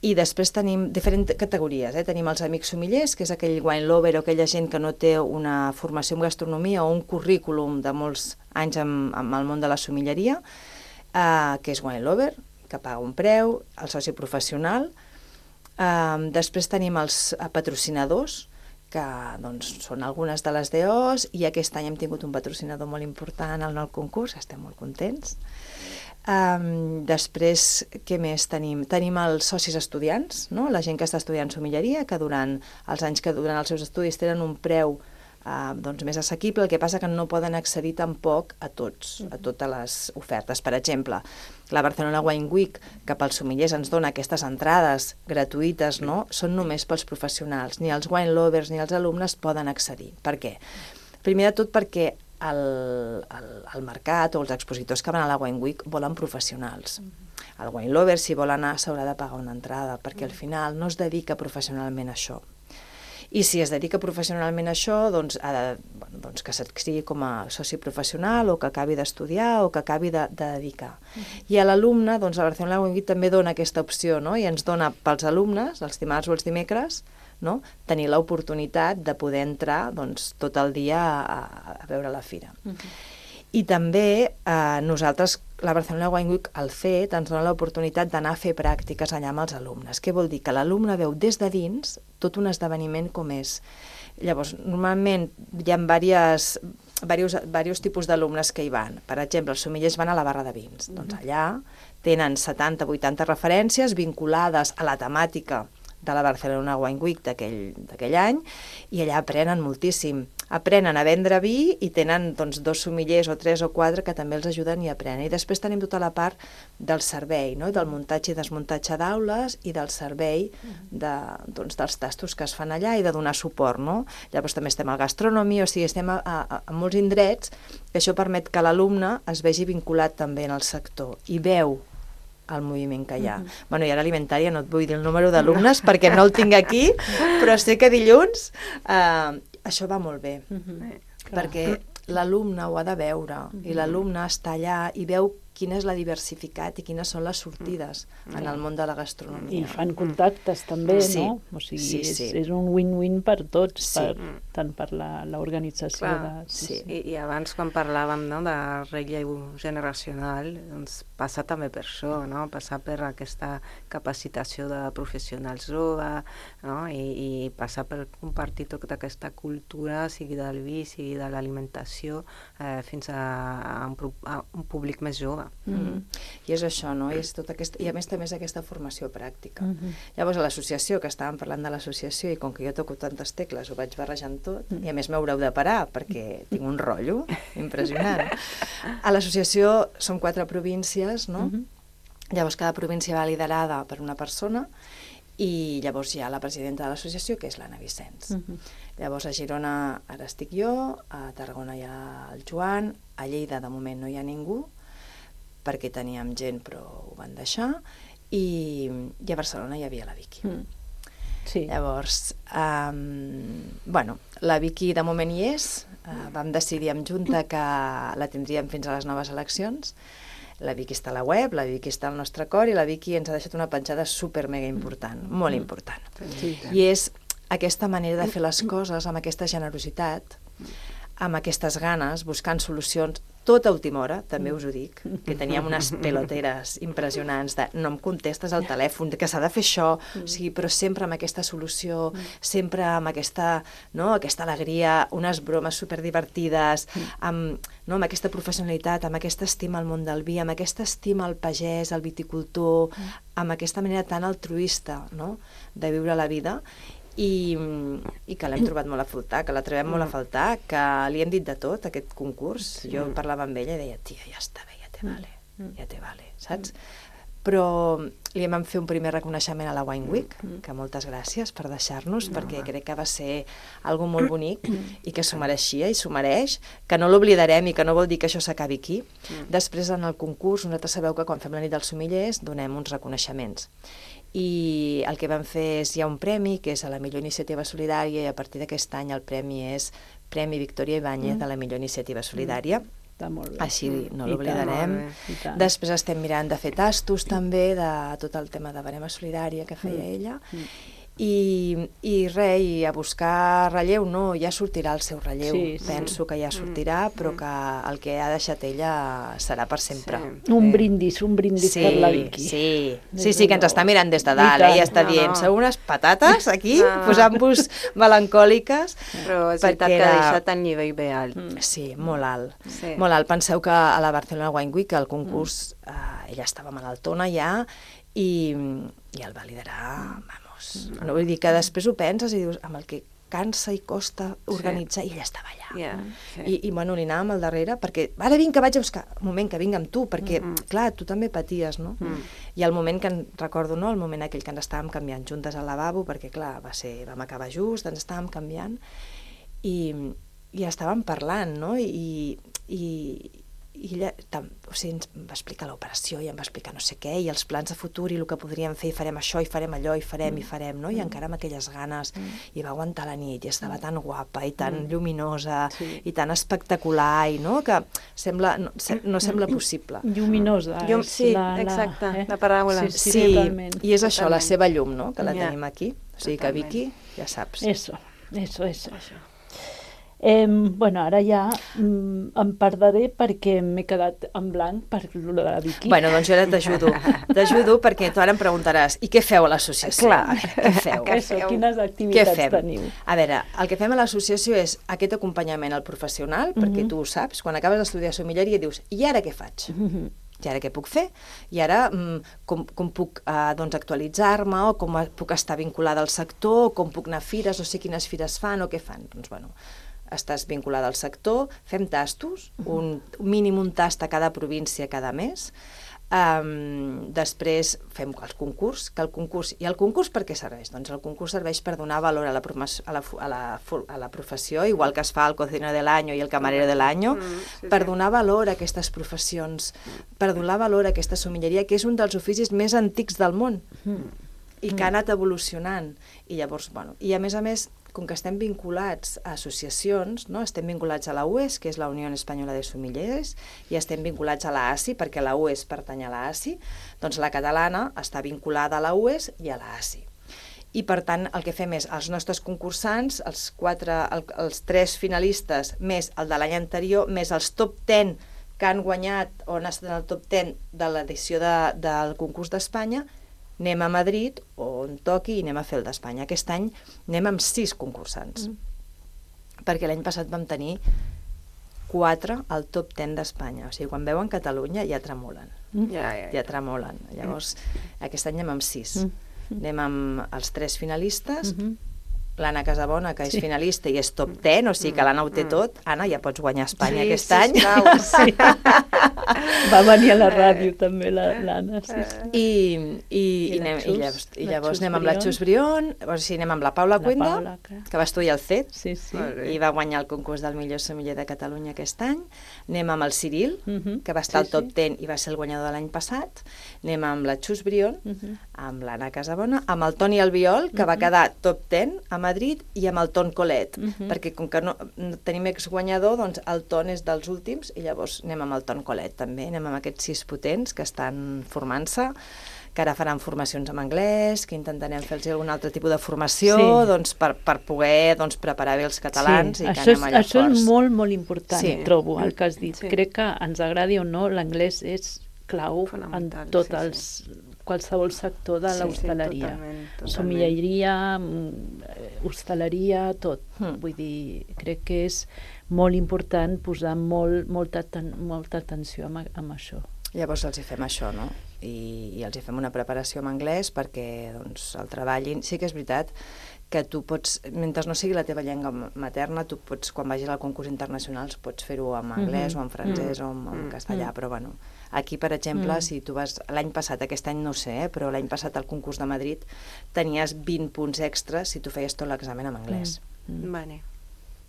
I després tenim diferents categories. Eh? Tenim els amics sommeliers, que és aquell wine lover o aquella gent que no té una formació en gastronomia o un currículum de molts anys amb, amb el món de la somilleria, eh, que és wine lover, que paga un preu, el soci professional. Eh, després tenim els patrocinadors, que doncs, són algunes de les D Os, i aquest any hem tingut un patrocinador molt important en el concurs, estem molt contents. Um, després, què més tenim? Tenim els socis estudiants, no? La gent que està estudiant sommelleria, que durant els anys que duren els seus estudis tenen un preu uh, doncs, més assequible, el que passa que no poden accedir tampoc a tots, a totes les ofertes. Per exemple, la Barcelona Wine Week, que pels sommeliers ens dona aquestes entrades gratuïtes, no? Són només pels professionals. Ni els wine lovers ni els alumnes poden accedir. Per què? Primer de tot perquè el, el, el mercat o els expositors que van a la Wine Week volen professionals. El wine lover, si vol anar, s'haurà de pagar una entrada, perquè al final no es dedica professionalment a això. I si es dedica professionalment a això, doncs, ha de, bueno, doncs que s'adscrigui com a soci professional o que acabi d'estudiar o que acabi de, de dedicar. I a l'alumne, doncs, la Barcelona Wine Week també dona aquesta opció, no? I ens dona pels alumnes, els dimarts o els dimecres, no? Tenir l'oportunitat de poder entrar doncs, tot el dia a, a veure la fira. Uh-huh. I també eh, nosaltres, la Barcelona Wine Week, al C E T, ens dona l'oportunitat d'anar a fer pràctiques allà amb els alumnes. Què vol dir? Que l'alumne veu des de dins tot un esdeveniment com és. Llavors, normalment hi ha diverses, diversos, diversos tipus d'alumnes que hi van. Per exemple, els sommeliers van a la barra de vins. Uh-huh. Doncs allà tenen setanta vuitanta referències vinculades a la temàtica de la Barcelona Wine Week d'aquell any, i allà aprenen moltíssim. Aprenen a vendre vi i tenen doncs, dos sommeliers o tres o quatre que també els ajuden i aprenen. I després tenim tota la part del servei, no? Del muntatge i desmuntatge d'aules i del servei de, doncs, dels tastos que es fan allà i de donar suport. No? Llavors també estem al gastronomia, o sigui, estem a, a, a molts indrets, que això permet que l'alumne es vegi vinculat també en el sector i veu el moviment que hi ha. Uh-huh. Bueno, i ara alimentària no et vull dir el número d'alumnes perquè no el tinc aquí, però sé que dilluns eh, això va molt bé, uh-huh. perquè l'alumne ho ha de veure, uh-huh. i l'alumne està allà i veu quina és la diversitat i quines són les sortides uh-huh. en el món de la gastronomia. I fan contactes també, sí. no? O sigui, sí, sí. És, és un win-win per tots, sí. per, tant per l'organització. De... Sí, sí. I, I abans, quan parlàvem, no, de relleu generacional, doncs passa també per això, no? Passar per aquesta capacitació de professionals joves, no? I, i passar per compartir tota aquesta cultura, sigui del vi, sigui de l'alimentació, eh, fins a, a, un, a un públic més jove. Mm-hmm. I és això, no? I, és tot aquest... I a més també és aquesta formació pràctica. Mm-hmm. Llavors a l'associació, que estàvem parlant de l'associació, i com que jo toco tantes tecles, ho vaig barrejant tot, mm-hmm. i a més m'haureu de parar, perquè tinc un rotllo impressionant. A l'associació som quatre províncies, no? Mm-hmm. Llavors cada província va liderada per una persona, i llavors hi ha la presidenta de l'associació, que és l'Anna Vicenç. Uh-huh. Llavors a Girona ara estic jo, a Tarragona hi ha el Joan, a Lleida de moment no hi ha ningú, perquè teníem gent però ho van deixar, i, i a Barcelona hi havia la Vicky. Mm. Sí. Llavors, um, bueno, la Vicky de moment hi és, uh, vam decidir en junta que la tindríem fins a les noves eleccions. La Vicky està a la web, la Vicky està al nostre cor, i la Vicky ens ha deixat una penjada super mega important, molt important. Sí. I és aquesta manera de fer les coses, amb aquesta generositat, amb aquestes ganes, buscant solucions, tot a última hora, també us ho dic, que teníem unes peloteres impressionants de no em contestes al telèfon, que s'ha de fer això, o sigui, però sempre amb aquesta solució, sempre amb aquesta, no, aquesta alegria, unes bromes superdivertides, amb, no, amb aquesta professionalitat, amb aquesta estima al món del vi, amb aquesta estima al pagès, al viticultor, amb aquesta manera tan altruista, no, de viure la vida, i, i que l'hem trobat molt a faltar, que la trobem molt a faltar, que li hem dit de tot, aquest concurs. Sí. Jo parlava amb ella i deia, tia, ja està bé, ja te vale, ja te vale, saps? Però li vam fer un primer reconeixement a la Wine Week, que moltes gràcies per deixar-nos, perquè crec que va ser algo molt bonic i que s'ho mereixia i s'ho mereix, que no l'oblidarem i que no vol dir que això s'acabi aquí. Després, en el concurs, nosaltres sabeu que quan fem la nit dels somellers donem uns reconeixements. I el que vam fer és, hi ha un premi, que és a la millor iniciativa solidària, i a partir d'aquest any el premi és Premi Victòria Ibáñez de la millor iniciativa solidària. Està molt bé. Així no l'oblidarem. Després estem mirant de fer tastos també, de tot el tema de barema solidària que feia ella. I, i res, i a buscar relleu, no, ja sortirà el seu relleu. Sí, sí. Penso que ja sortirà, però que el que ha deixat ella serà per sempre. Sí. Un brindis, un brindis Sí, per la Vicky. sí, Des sí, de sí, que ens nou. està mirant des de I dalt, tant. eh? I està No, dient, no. sou unes patates aquí, No, no. posant-vos melancòliques. Però és perquè veritat que ha era- deixat el nivell bé alt. Mm. Sí, molt alt. Sí. Molt alt. Penseu que a la Barcelona Wine Week, el concurs, eh, ella estava malaltona ja, i, i el va liderar, vamos. No, vull dir que després ho penses i dius, amb el que cansa i costa organitzar, i ella estava allà. Yeah, sí. I, I, bueno, li anàvem al darrere, perquè, ara vinc, que vaig a buscar. Un moment, que vinc amb tu, perquè, mm -hmm. clar, tu també paties, no? Mm. I el moment que, en, recordo, no?, el moment aquell que ens estàvem canviant juntes al lavabo, perquè, clar, va ser, vam acabar just, ens estàvem canviant, i, i estàvem parlant, no?, i, i, i ella tam, o sigui, ens va explicar l'operació i em va explicar no sé què, i els plans de futur i el que podríem fer, i farem això, i farem allò, i farem, mm. i farem, no? I encara amb aquelles ganes, mm. i va aguantar la nit, i estava tan guapa, i tan mm. lluminosa, Sí. i tan espectacular, i no? Que sembla, no, se, no sembla possible. Lluminosa. Llum, és sí, la, la, exacte, eh? la paraula. Sí, sí, Sí, totalment. i és això, la Totalment. seva llum, no?, que la Ja. tenim aquí. O sigui que, Totalment. Vicky, ja saps. Eso, eso, eso. Eh, bueno, ara ja mm, em perdré perquè m'he quedat en blanc per lo de la Vicky. Bueno, doncs jo ara t'ajudo. T'ajudo perquè tu ara em preguntaràs, i què feu a l'associació? Clar. A veure, què feu? Eso, feu? quines Què activitats fem? teniu? A veure, el que fem a l'associació és aquest acompanyament al professional, perquè tu ho saps, quan acabes d'estudiar sommelleria dius, i ara què faig? Mhm. I ara què puc fer? I ara mm, com, com puc eh, doncs, actualitzar-me, o com puc estar vinculada al sector, o com puc anar a fires, o sé quines fires fan, o què fan? Doncs, bueno, estàs vinculada al sector, fem tastos, un, un mínim un tast a cada província cada mes, um, després fem el concurs, que el concurs, i el concurs per què serveix? Doncs el concurs serveix per donar valor a la, a la, a la, a la professió, igual que es fa el cocinero de l'any i el camarero de l'any, Mm, sí, per sí. donar valor a aquestes professions, per donar valor a aquesta sommelleria, que és un dels oficis més antics del món, i que ha anat evolucionant. I llavors, bueno, i a més a més, com que estem vinculats a associacions, no? Estem vinculats a la U E S, que és la Unió Espanyola de Sommeliers, i estem vinculats a la A S I, perquè la U E S pertany a la A S I, doncs la catalana està vinculada a la U E S i a la A S I. I, per tant, el que fem és, els nostres concursants, els, quatre, el, els tres finalistes, més el de l'any anterior, més els top ten que han guanyat o han estat en el top ten de l'edició de, del concurs d'Espanya, anem a Madrid, o on toqui, i anem a fer el d'Espanya. Aquest any anem amb sis concursants, mm. perquè l'any passat vam tenir quatre al top ten d'Espanya. O sigui, quan veuen Catalunya ja tremolen, Mm. Ja, ja, ja tremolen. Llavors, aquest any anem amb sis. Mm. Anem amb els tres finalistes, Mhm. l'Anna Casabona, que és Sí. finalista i és top ten, o sigui que l'Anna ho té tot. Anna, ja pots guanyar a Espanya Sí, aquest any. sisplau. Sí. Va venir a la ràdio també la- l'Anna, sí, sí. I, i, I i, la anem, Xus, i llavors, i la llavors Xus anem amb la Brión. Xus Brión, o sigui, anem amb la Paula La Cuenda, Paula, que- que va estudiar al C E T, Sí, sí. Molt bé. i va guanyar el concurs del millor sommelier de Catalunya aquest any. Anem amb el Ciril, Mhm. que va estar Sí, al top sí. ten i va ser el guanyador de l'any passat. Anem amb la Xus Brión, Mhm. amb l'Anna Casabona, amb el Toni Albiol, que va quedar top ten a Madrid, i amb el Ton Colet, Mhm. perquè com que no, no tenim exguanyador, doncs el Ton és dels últims, i llavors anem amb el Ton Colet també, anem amb aquests sis potents que estan formant-se, que ara faran formacions en anglès, que intentarem fer-los algun altre tipus de formació, Sí. doncs, per, per poder doncs, preparar bé els catalans, Sí, i que això, anem allà és, això forts. és molt, molt important, Sí. trobo, el que has dit. Sí. Crec que ens agradi o no, l'anglès és clau en Fonamental, tot sí, els, qualsevol sector de Sí, sí, l'hostaleria. totalment, totalment. Sommelleria, mm, eh, hostaleria, tot. Mm. Vull dir, crec que és molt important posar molt, molta, aten molta atenció amb, amb això. Llavors els hi fem això, no? I, i els hi fem una preparació en anglès perquè doncs, el treballin. Sí que és veritat que tu pots, mentre no sigui la teva llengua materna, tu pots, quan vagis al concurs internacional, pots fer-ho en anglès Mhm. o en francès Mm. o en, en Mm. castellà, Mm. però bueno, aquí, per exemple, Mm. si tu vas, l'any passat, aquest any no ho sé, eh, però l'any passat al concurs de Madrid tenies vint punts extras si tu feies tot l'examen en anglès. Mm. Vale.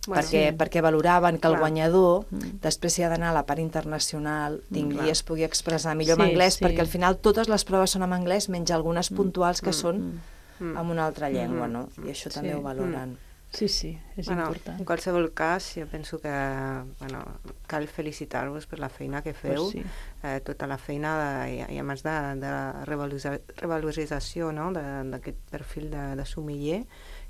perquè, sí. perquè valoraven que el Clar. guanyador, Mm. després si ha d'anar a la part internacional, tingui, clar. es pugui expressar millor Sí, en anglès, sí. perquè al final totes les proves són en anglès, menys algunes puntuals que són Mm. en una altra llengua, Mm. no? I això Sí. també ho valoren. Sí, sí, és bueno, important. En qualsevol cas, jo penso que bueno, cal felicitar-vos per la feina que feu, pues sí. eh, tota la feina de, i, i a més de, de revalorització, no? d'aquest perfil de, de sommelier,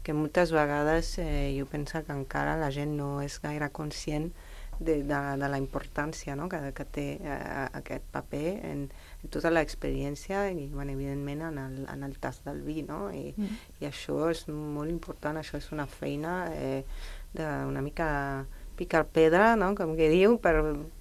que moltes vegades eh, jo penso que encara la gent no és gaire conscient de, de, de la importància, no? que, que té eh, aquest paper en, en tota l'experiència i, bueno, evidentment, en el, en el tast del vi, no? I, mm. i això és molt important, això és una feina eh, d'una mica picar pedra, no? Com que diu, per,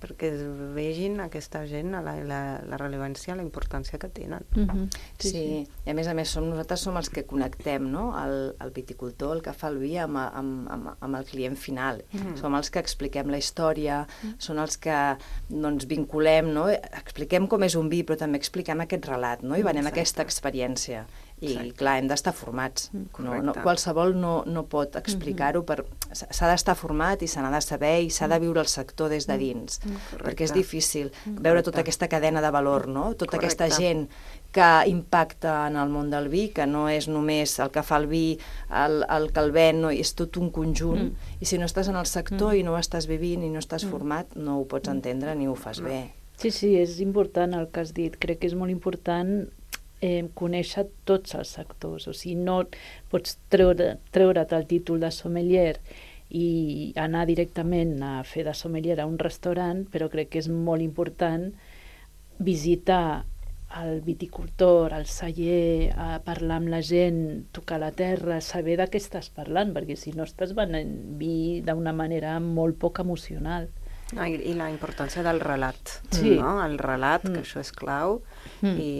perquè es vegin aquesta gent la, la, la rellevància, la importància que tenen. Mm-hmm. Sí, sí, i a més a més som, nosaltres som els que connectem, no? el, el viticultor, el que fa el vi amb, amb, amb, amb el client final. Mm-hmm. Som els que expliquem la història, mm-hmm. són els que doncs, vinculem, no? Expliquem com és un vi, però també expliquem aquest relat, no? I venem Exacte. Aquesta experiència. I, Exacte. Clar, hem d'estar formats. No, no, qualsevol no, no pot explicar-ho. Per, s'ha d'estar format i se n'ha de saber i s'ha de viure el sector des de dins. Correcte. Perquè és difícil Correcte. Veure tota aquesta cadena de valor, no? Tota Correcte. Aquesta gent que impacta en el món del vi, que no és només el que fa el vi, el, el que el ven, no? És tot un conjunt. Mm. I si no estàs en el sector mm. i no ho estàs vivint i no estàs mm. format, no ho pots entendre ni ho fas bé. Sí, sí, és important el que has dit. Crec que és molt important Eh, conèixer tots els sectors, o sigui, no pots treure, treure't el títol de sommelier i anar directament a fer de sommelier a un restaurant, però crec que és molt important visitar el viticultor, el celler, a parlar amb la gent, tocar la terra, saber de què estàs parlant, perquè si no estàs venent vi d'una manera molt poc emocional. No, i, i la importància del relat, sí. no? El relat, mm. que això és clau, mm. i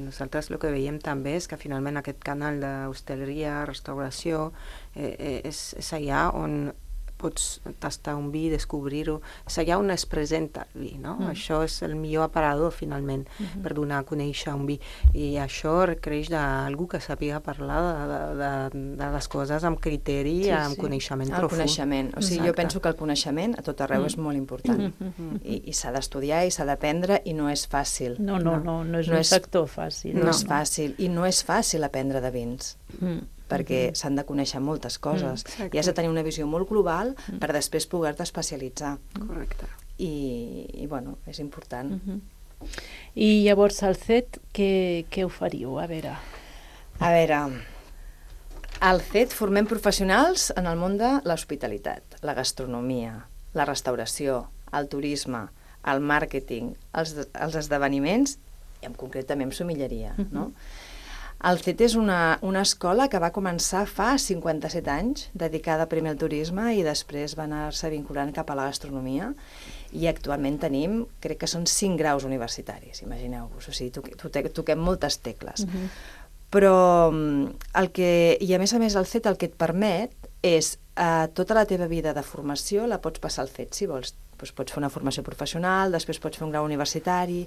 nosaltres el que veiem també és que finalment aquest canal d'hostaleria, restauració, eh, eh, és, és allà on pots tastar un vi, descobrir-ho, és allà on es presenta el vi, no? Mm. Això és el millor aparador, finalment, mm-hmm. per donar a conèixer un vi. I això requereix d'algú que sàpiga parlar de, de, de les coses amb criteri, sí, amb sí. coneixement el profund. Coneixement. O sigui, Exacte. Jo penso que el coneixement a tot arreu mm. és molt important. Mm-hmm. I, i s'ha d'estudiar i s'ha d'aprendre i no és fàcil. No, no, no, no, no és no un és, sector fàcil. No, no és fàcil. I no és fàcil aprendre de vins. Mm. perquè mm-hmm. s'han de conèixer moltes coses mm, i has de tenir una visió molt global mm. per després poder-te especialitzar. Correcte. I, i bueno, és important. Mm-hmm. I llavors al C E T què, què oferíeu? A veure... A veure, al C E T formem professionals en el món de l'hospitalitat, la gastronomia, la restauració, el turisme, el màrqueting, els, els esdeveniments, i en concret també en sommelleria, mm-hmm. no? El C E T és una, una escola que va començar fa cinquanta-set anys, dedicada primer al turisme i després va anar-se vinculant cap a la gastronomia, i actualment tenim, crec que són cinc graus universitaris, imagineu-vos, o sigui, toquem, toquem moltes tecles. Uh-huh. Però el que, i a més a més el C E T el que et permet és eh, tota la teva vida de formació la pots passar al C E T si vols. Doncs pots fer una formació professional, després pots fer un grau universitari,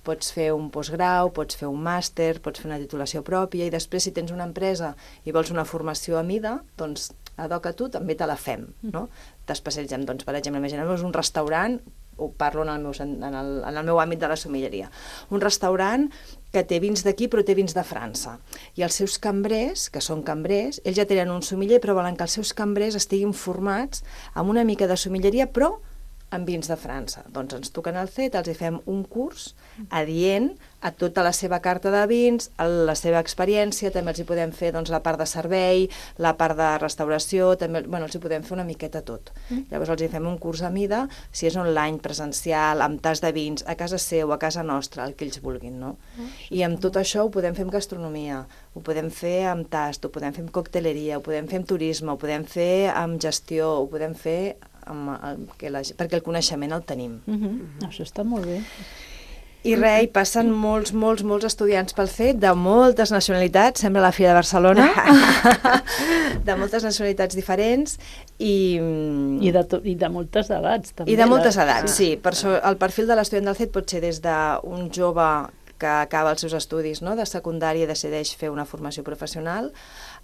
pots fer un postgrau, pots fer un màster, pots fer una titulació pròpia i després si tens una empresa i vols una formació a mida, doncs ad hoc a tu també te la fem, no? T'especialitzem, doncs, per exemple, imaginem-vos un restaurant, ho parlo en el, meu, en, el, en el meu àmbit de la sommelleria, un restaurant que té vins d'aquí però té vins de França, i els seus cambrers, que són cambrers, ells ja tenen un sommelier però volen que els seus cambrers estiguin formats amb una mica de sommelleria però amb vins de França. Doncs ens toquen al C E T, els hi fem un curs adient a tota la seva carta de vins, a la seva experiència, també els hi podem fer doncs, la part de servei, la part de restauració, també bueno, els hi podem fer una miqueta tot. Mm. Llavors els hi fem un curs a mida, si és online, presencial, amb tas de vins, a casa seu, a casa nostra, el que ells vulguin, no? Mm. I amb tot això ho podem fer amb gastronomia, ho podem fer amb tast, ho podem fer amb cocteleria, ho podem fer amb turisme, ho podem fer amb gestió, ho podem fer amb el, que la, perquè el coneixement el tenim. Mm-hmm. Això està molt bé. I res, hi passen molts, molts, molts estudiants pel C E T de moltes nacionalitats, sembla la Fira de Barcelona, de moltes nacionalitats diferents i... I de, to, i de moltes edats, també. I de moltes edats, sí. sí. Per so, el perfil de l'estudiant del C E T pot ser des d'un jove que acaba els seus estudis, no?, de secundària i decideix fer una formació professional,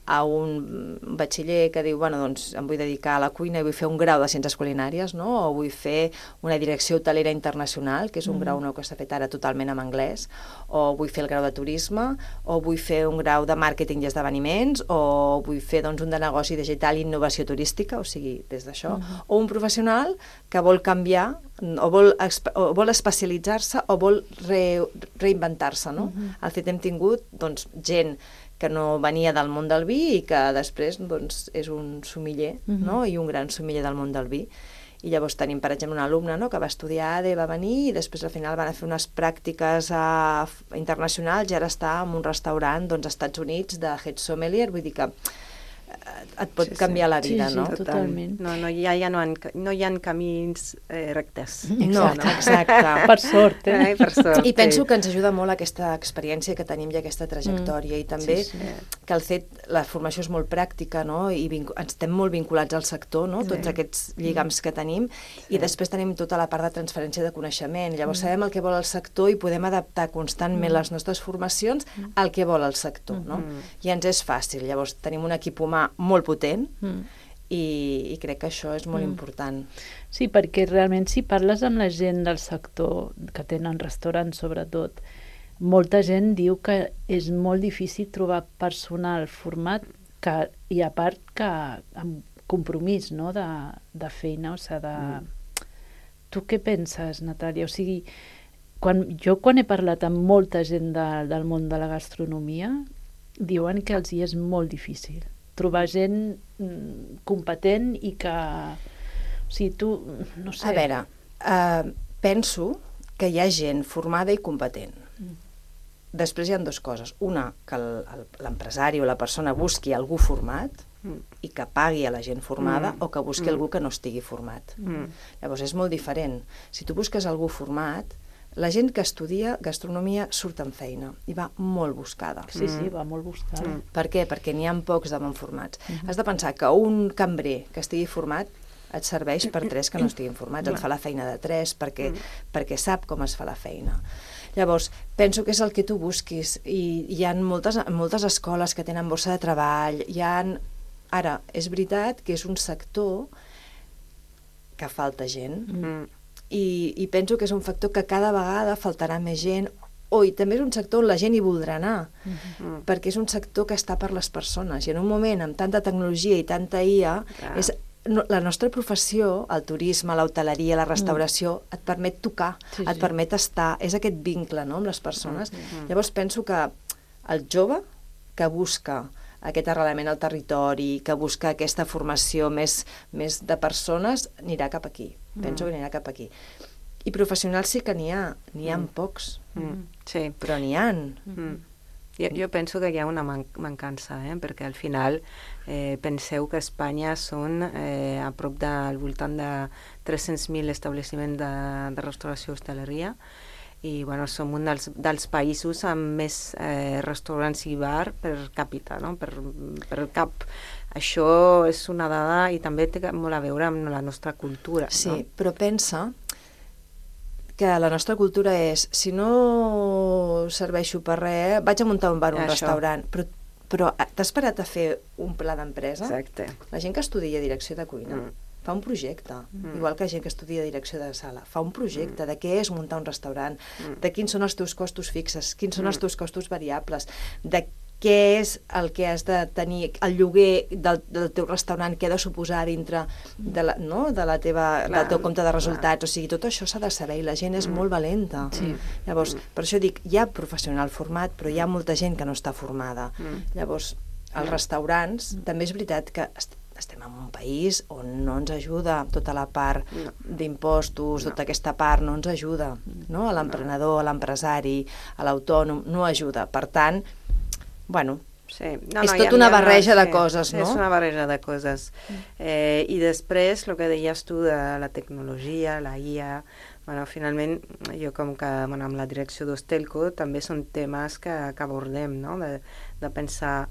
a un batxiller que diu, bueno, doncs em vull dedicar a la cuina i vull fer un grau de ciències culinàries, no? O vull fer una direcció hotelera internacional, que és un mm. grau nou que s'ha fet ara totalment en anglès, o vull fer el grau de turisme, o vull fer un grau de màrqueting i esdeveniments, o vull fer doncs, un de negoci digital i innovació turística, o sigui, des d'això, mm. o un professional que vol canviar, o vol, o vol especialitzar-se, o vol re, reinventar-se, no? Mm. Al fet hem tingut doncs, gent que no venia del món del vi i que després doncs, és un sommelier, mm-hmm. no? I un gran sommelier del món del vi. I llavors tenim, per exemple, una alumna, no? Que va estudiar A D E, va venir i després al final van a fer unes pràctiques a... internacionals i ara està en un restaurant doncs, als Estats Units de head sommelier, vull dir que et pot sí, canviar sí. la vida, sí, sí, no? Totalment. No, no, ja, ja no, han, no hi ha camins eh, rectes. No, exacte. Per sort, eh? Ai, per sort. I penso que ens ajuda molt aquesta experiència que tenim i aquesta trajectòria mm. i també sí, sí. que el fet, la formació és molt pràctica, no? I vincu- ens estem molt vinculats al sector, no? Sí. Tots aquests lligams que tenim sí. i després tenim tota la part de transferència de coneixement. Llavors mm. sabem el que vol el sector i podem adaptar constantment mm. les nostres formacions mm. al que vol el sector, no? Mm. I ens és fàcil. Llavors tenim un equip humà molt potent mm. i, i crec que això és molt mm. important. Sí, perquè realment si parles amb la gent del sector, que tenen restaurants sobretot, molta gent diu que és molt difícil trobar personal format que, i a part que amb compromís, no?, de, de feina, o sigui, de... Mm. Tu què penses, Natàlia? O sigui, quan, jo quan he parlat amb molta gent de, del món de la gastronomia, diuen que els hi és molt difícil trobar gent mm, competent i que... O sigui, tu, no sé... A veure, uh, penso que hi ha gent formada i competent. Mm. Després hi ha dues coses. Una, que l'empresari o la persona busqui algú format mm. i que pagui a la gent formada mm. o que busqui mm. algú que no estigui format. Mm. Llavors, és molt diferent. Si tu busques algú format, la gent que estudia gastronomia surt en feina i va molt buscada. Sí, sí, va molt buscada. Mm. Per què? Perquè n'hi ha pocs de ben formats. Mm-hmm. Has de pensar que un cambrer que estigui format et serveix per tres que no estiguin formats, et fa la feina de tres perquè, mm. perquè sap com es fa la feina. Llavors, penso que és el que tu busquis i hi ha moltes, moltes escoles que tenen borsa de treball, hi ha... Ara, és veritat que és un sector que falta gent, mm. I, i penso que és un factor que cada vegada faltarà més gent, o i també és un sector on la gent hi voldrà anar, mm-hmm. perquè és un sector que està per les persones, i en un moment amb tanta tecnologia i tanta I A, ah. és, no, la nostra professió, el turisme, l'hoteleria, la restauració, mm. et permet tocar, sí, et sí. permet estar, és aquest vincle, no?, amb les persones. Mm-hmm. Llavors penso que el jove que busca aquest arrelament al territori, que busca aquesta formació més, més de persones, anirà cap aquí. Mm. Penso que anirà cap aquí. I professionals sí que n'hi ha, n'hi ha mm. pocs, mm. sí. però n'hi ha. Mm. Jo, jo penso que hi ha una man mancança, eh? Perquè al final eh, penseu que a Espanya són eh, a prop del voltant de tres-cents mil establiments de, de restauració i hostaleria, i bueno, som un dels, dels països amb més eh, restaurants i bar per càpita, no? per, per cap. Això és una dada i també té molt a veure amb la nostra cultura. Sí, no? Però pensa que la nostra cultura és, si no serveixo per res, vaig a muntar un bar o un Això. restaurant, però, però t'has parat a fer un pla d'empresa? Exacte. La gent que estudia direcció de cuina mm. fa un projecte, mm. igual que gent que estudia direcció de sala, fa un projecte mm. de què és muntar un restaurant, mm. de quins són els teus costos fixes, quins són mm. els teus costos variables, de què és el que has de tenir, el lloguer del, del teu restaurant, què ha de suposar dintre de la, no? de la teva, clar, del teu compte de resultats, clar. O sigui, tot això s'ha de saber i la gent és mm. molt valenta. Sí. Llavors, per això dic, hi ha professional format, però hi ha molta gent que no està formada. Mm. Llavors, els restaurants, mm. també és veritat que estem en un país on no ens ajuda tota la part no. d'impostos, no. tota aquesta part no ens ajuda, no? A l'emprenedor, a l'empresari, a l'autònom, no ajuda. Per tant, bueno, sí. no, és no, tot ha, una ha, barreja sí. de coses, no? És una barreja de coses. Eh, I després, el que deies tu de la tecnologia, la I A, bueno, finalment, jo com que bueno, amb la direcció d'Hostelco també són temes que, que abordem, no? De, de pensar,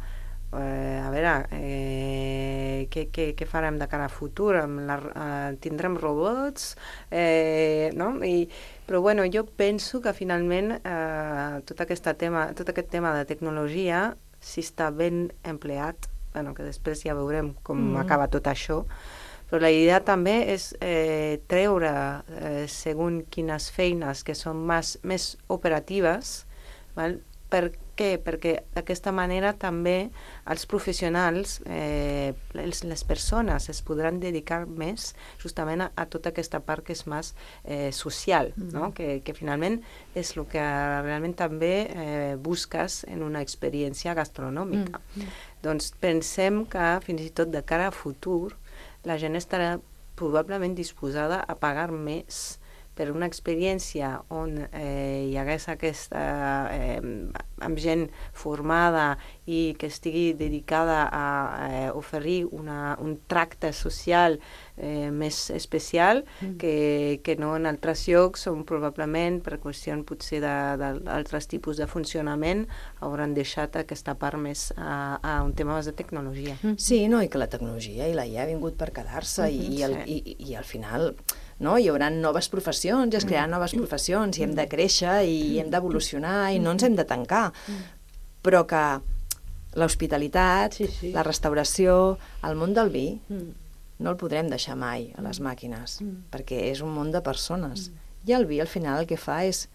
eh, a veure, eh, què, què, què farem de cara a futur? La, eh, tindrem robots? Eh, no? I Però bueno, jo penso que finalment eh, tot, aquesta tema, tot aquest tema de tecnologia, si està ben empleat, bueno, que després ja veurem com mm. acaba tot això, però la idea també és eh, treure eh, segons quines feines que són més, més operatives, val? Per què? Perquè d'aquesta manera també els professionals, eh, els, les persones es podran dedicar més justament a, a tota aquesta part que és més eh, social, mm. no? que, que finalment és el que realment també eh, busques en una experiència gastronòmica. Mm. Doncs pensem que fins i tot de cara a futur la gent estarà probablement disposada a pagar més per una experiència on eh, hi hagués aquesta, eh, amb gent formada i que estigui dedicada a eh, oferir una, un tracte social eh, més especial mm. que, que no en altres llocs on probablement per qüestió potser d'altres tipus de funcionament hauran deixat aquesta part més a, a un tema més de tecnologia. Mm. Sí, no, i que la tecnologia i la I A ha vingut per quedar-se mm-hmm, i, i, el, sí. i, i al final... No? Hi haurà noves professions, es crearan noves professions i hem de créixer i hem d'evolucionar i no ens hem de tancar. Però que l'hospitalitat, sí, sí. la restauració, el món del vi, no el podrem deixar mai a les màquines, perquè és un món de persones. I el vi al final el que fa és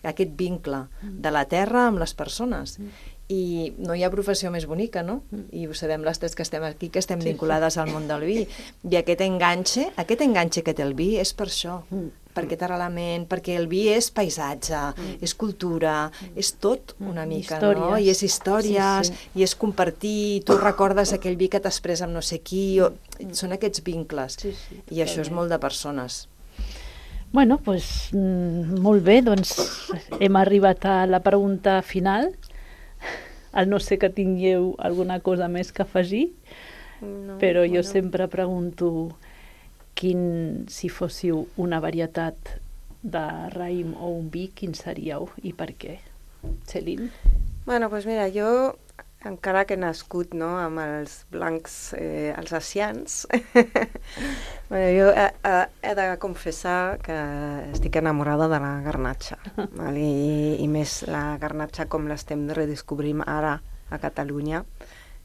aquest vincle de la terra amb les persones. I no hi ha professió més bonica, no? I ho sabem les tres que estem aquí, que estem vinculades al món del vi. I aquest enganxe, aquest enganxe que té el vi és per això, per aquest arrelament, perquè el vi és paisatge, és cultura, és tot una mica, no? I és històries, sí, sí. i és compartir, tu recordes aquell vi que t'has pres amb no sé qui, o... són aquests vincles. Sí, sí, i això és molt de persones. Bueno, doncs molt bé, doncs hem arribat a la pregunta final. Al no ser que tingueu alguna cosa més que afegir, no, però jo bueno. sempre pregunto quin, si fóssiu una varietat de raïm o un vi, quin seríeu i per què? Celine? Bueno, doncs mira, jo, encara que he nascut no, amb els blancs eh, alsacians, bueno, jo he, he de confessar que estic enamorada de la garnatxa, val? I, i més la garnatxa com l'estem redescobrint ara a Catalunya,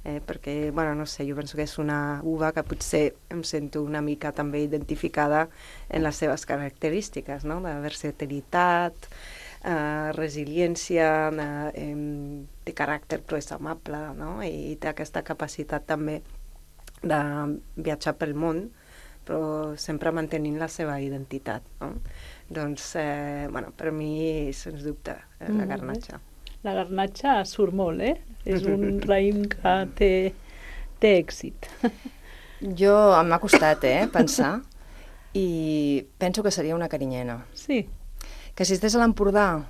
eh, perquè, bueno, no sé, jo penso que és una uva que potser em sento una mica també identificada en les seves característiques, no? De versatilitat, Uh, resiliència, uh, um, de caràcter però és amable, no? I té aquesta capacitat també de viatjar pel món, però sempre mantenint la seva identitat, no? Doncs, eh, bueno, per mi, sens dubte, eh, la garnatxa. La garnatxa surt molt, eh? És un raïm que té, té èxit. Jo, m'ha costat, eh, pensar, i penso que seria una carinyena. Sí. Que si estés a l'Empordà,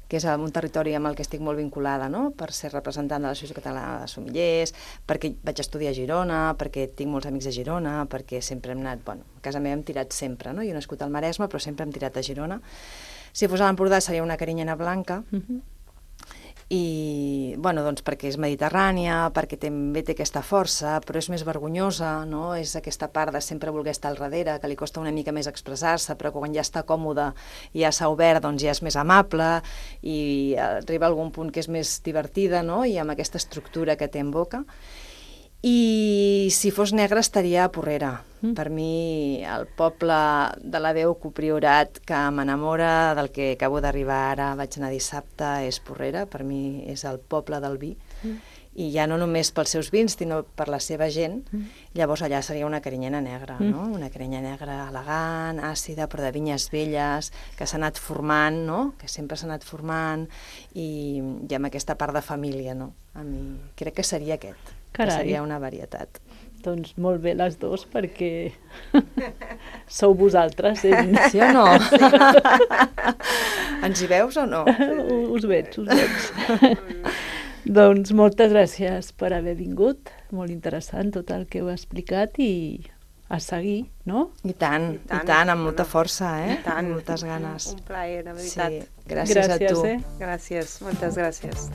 que és un territori amb el que estic molt vinculada, no? Per ser representant de l'Associació Catalana de Sommeliers, perquè vaig estudiar a Girona, perquè tinc molts amics a Girona, perquè sempre hem anat, bueno, a casa meva hem tirat sempre, no? Jo he nascut al Maresme, però sempre hem tirat a Girona. Si fos a l'Empordà seria una carinyena blanca, uh-huh. i, bueno, doncs perquè és mediterrània, perquè també té aquesta força, però és més vergonyosa, no? És aquesta part de sempre voler estar al darrere, que li costa una mica més expressar-se, però quan ja està còmode i ja s'ha obert, doncs ja és més amable i arriba a algun punt que és més divertida, no? I amb aquesta estructura que té en boca. I si fos negra estaria a Porrera. Mm. Per mi, el poble de la veu copriorat que m'enamora, del que acabo d'arribar ara, vaig anar dissabte, és Porrera. Per mi és el poble del vi. Mm. I ja no només pels seus vins, sinó per la seva gent. Mm. Llavors allà seria una carinyena negra, mm. no? Una carinyena negra elegant, àcida, però de vinyes velles, que s'ha anat formant, no? Que sempre s'ha anat formant, i, i amb aquesta part de família, no? A mi crec que seria aquest. Carai. Que seria una varietat. Doncs molt bé les dues, perquè sou vosaltres. Eh? Sí o no? Ens hi veus o no? Us veig, us veig. Doncs moltes gràcies per haver vingut. Molt interessant tot el que heu explicat i a seguir, no? I tant, i tant, i tant amb molta força, eh? I tant. Moltes ganes. Un plaer, de veritat. Sí, gràcies, gràcies a tu. Eh? Gràcies, moltes gràcies.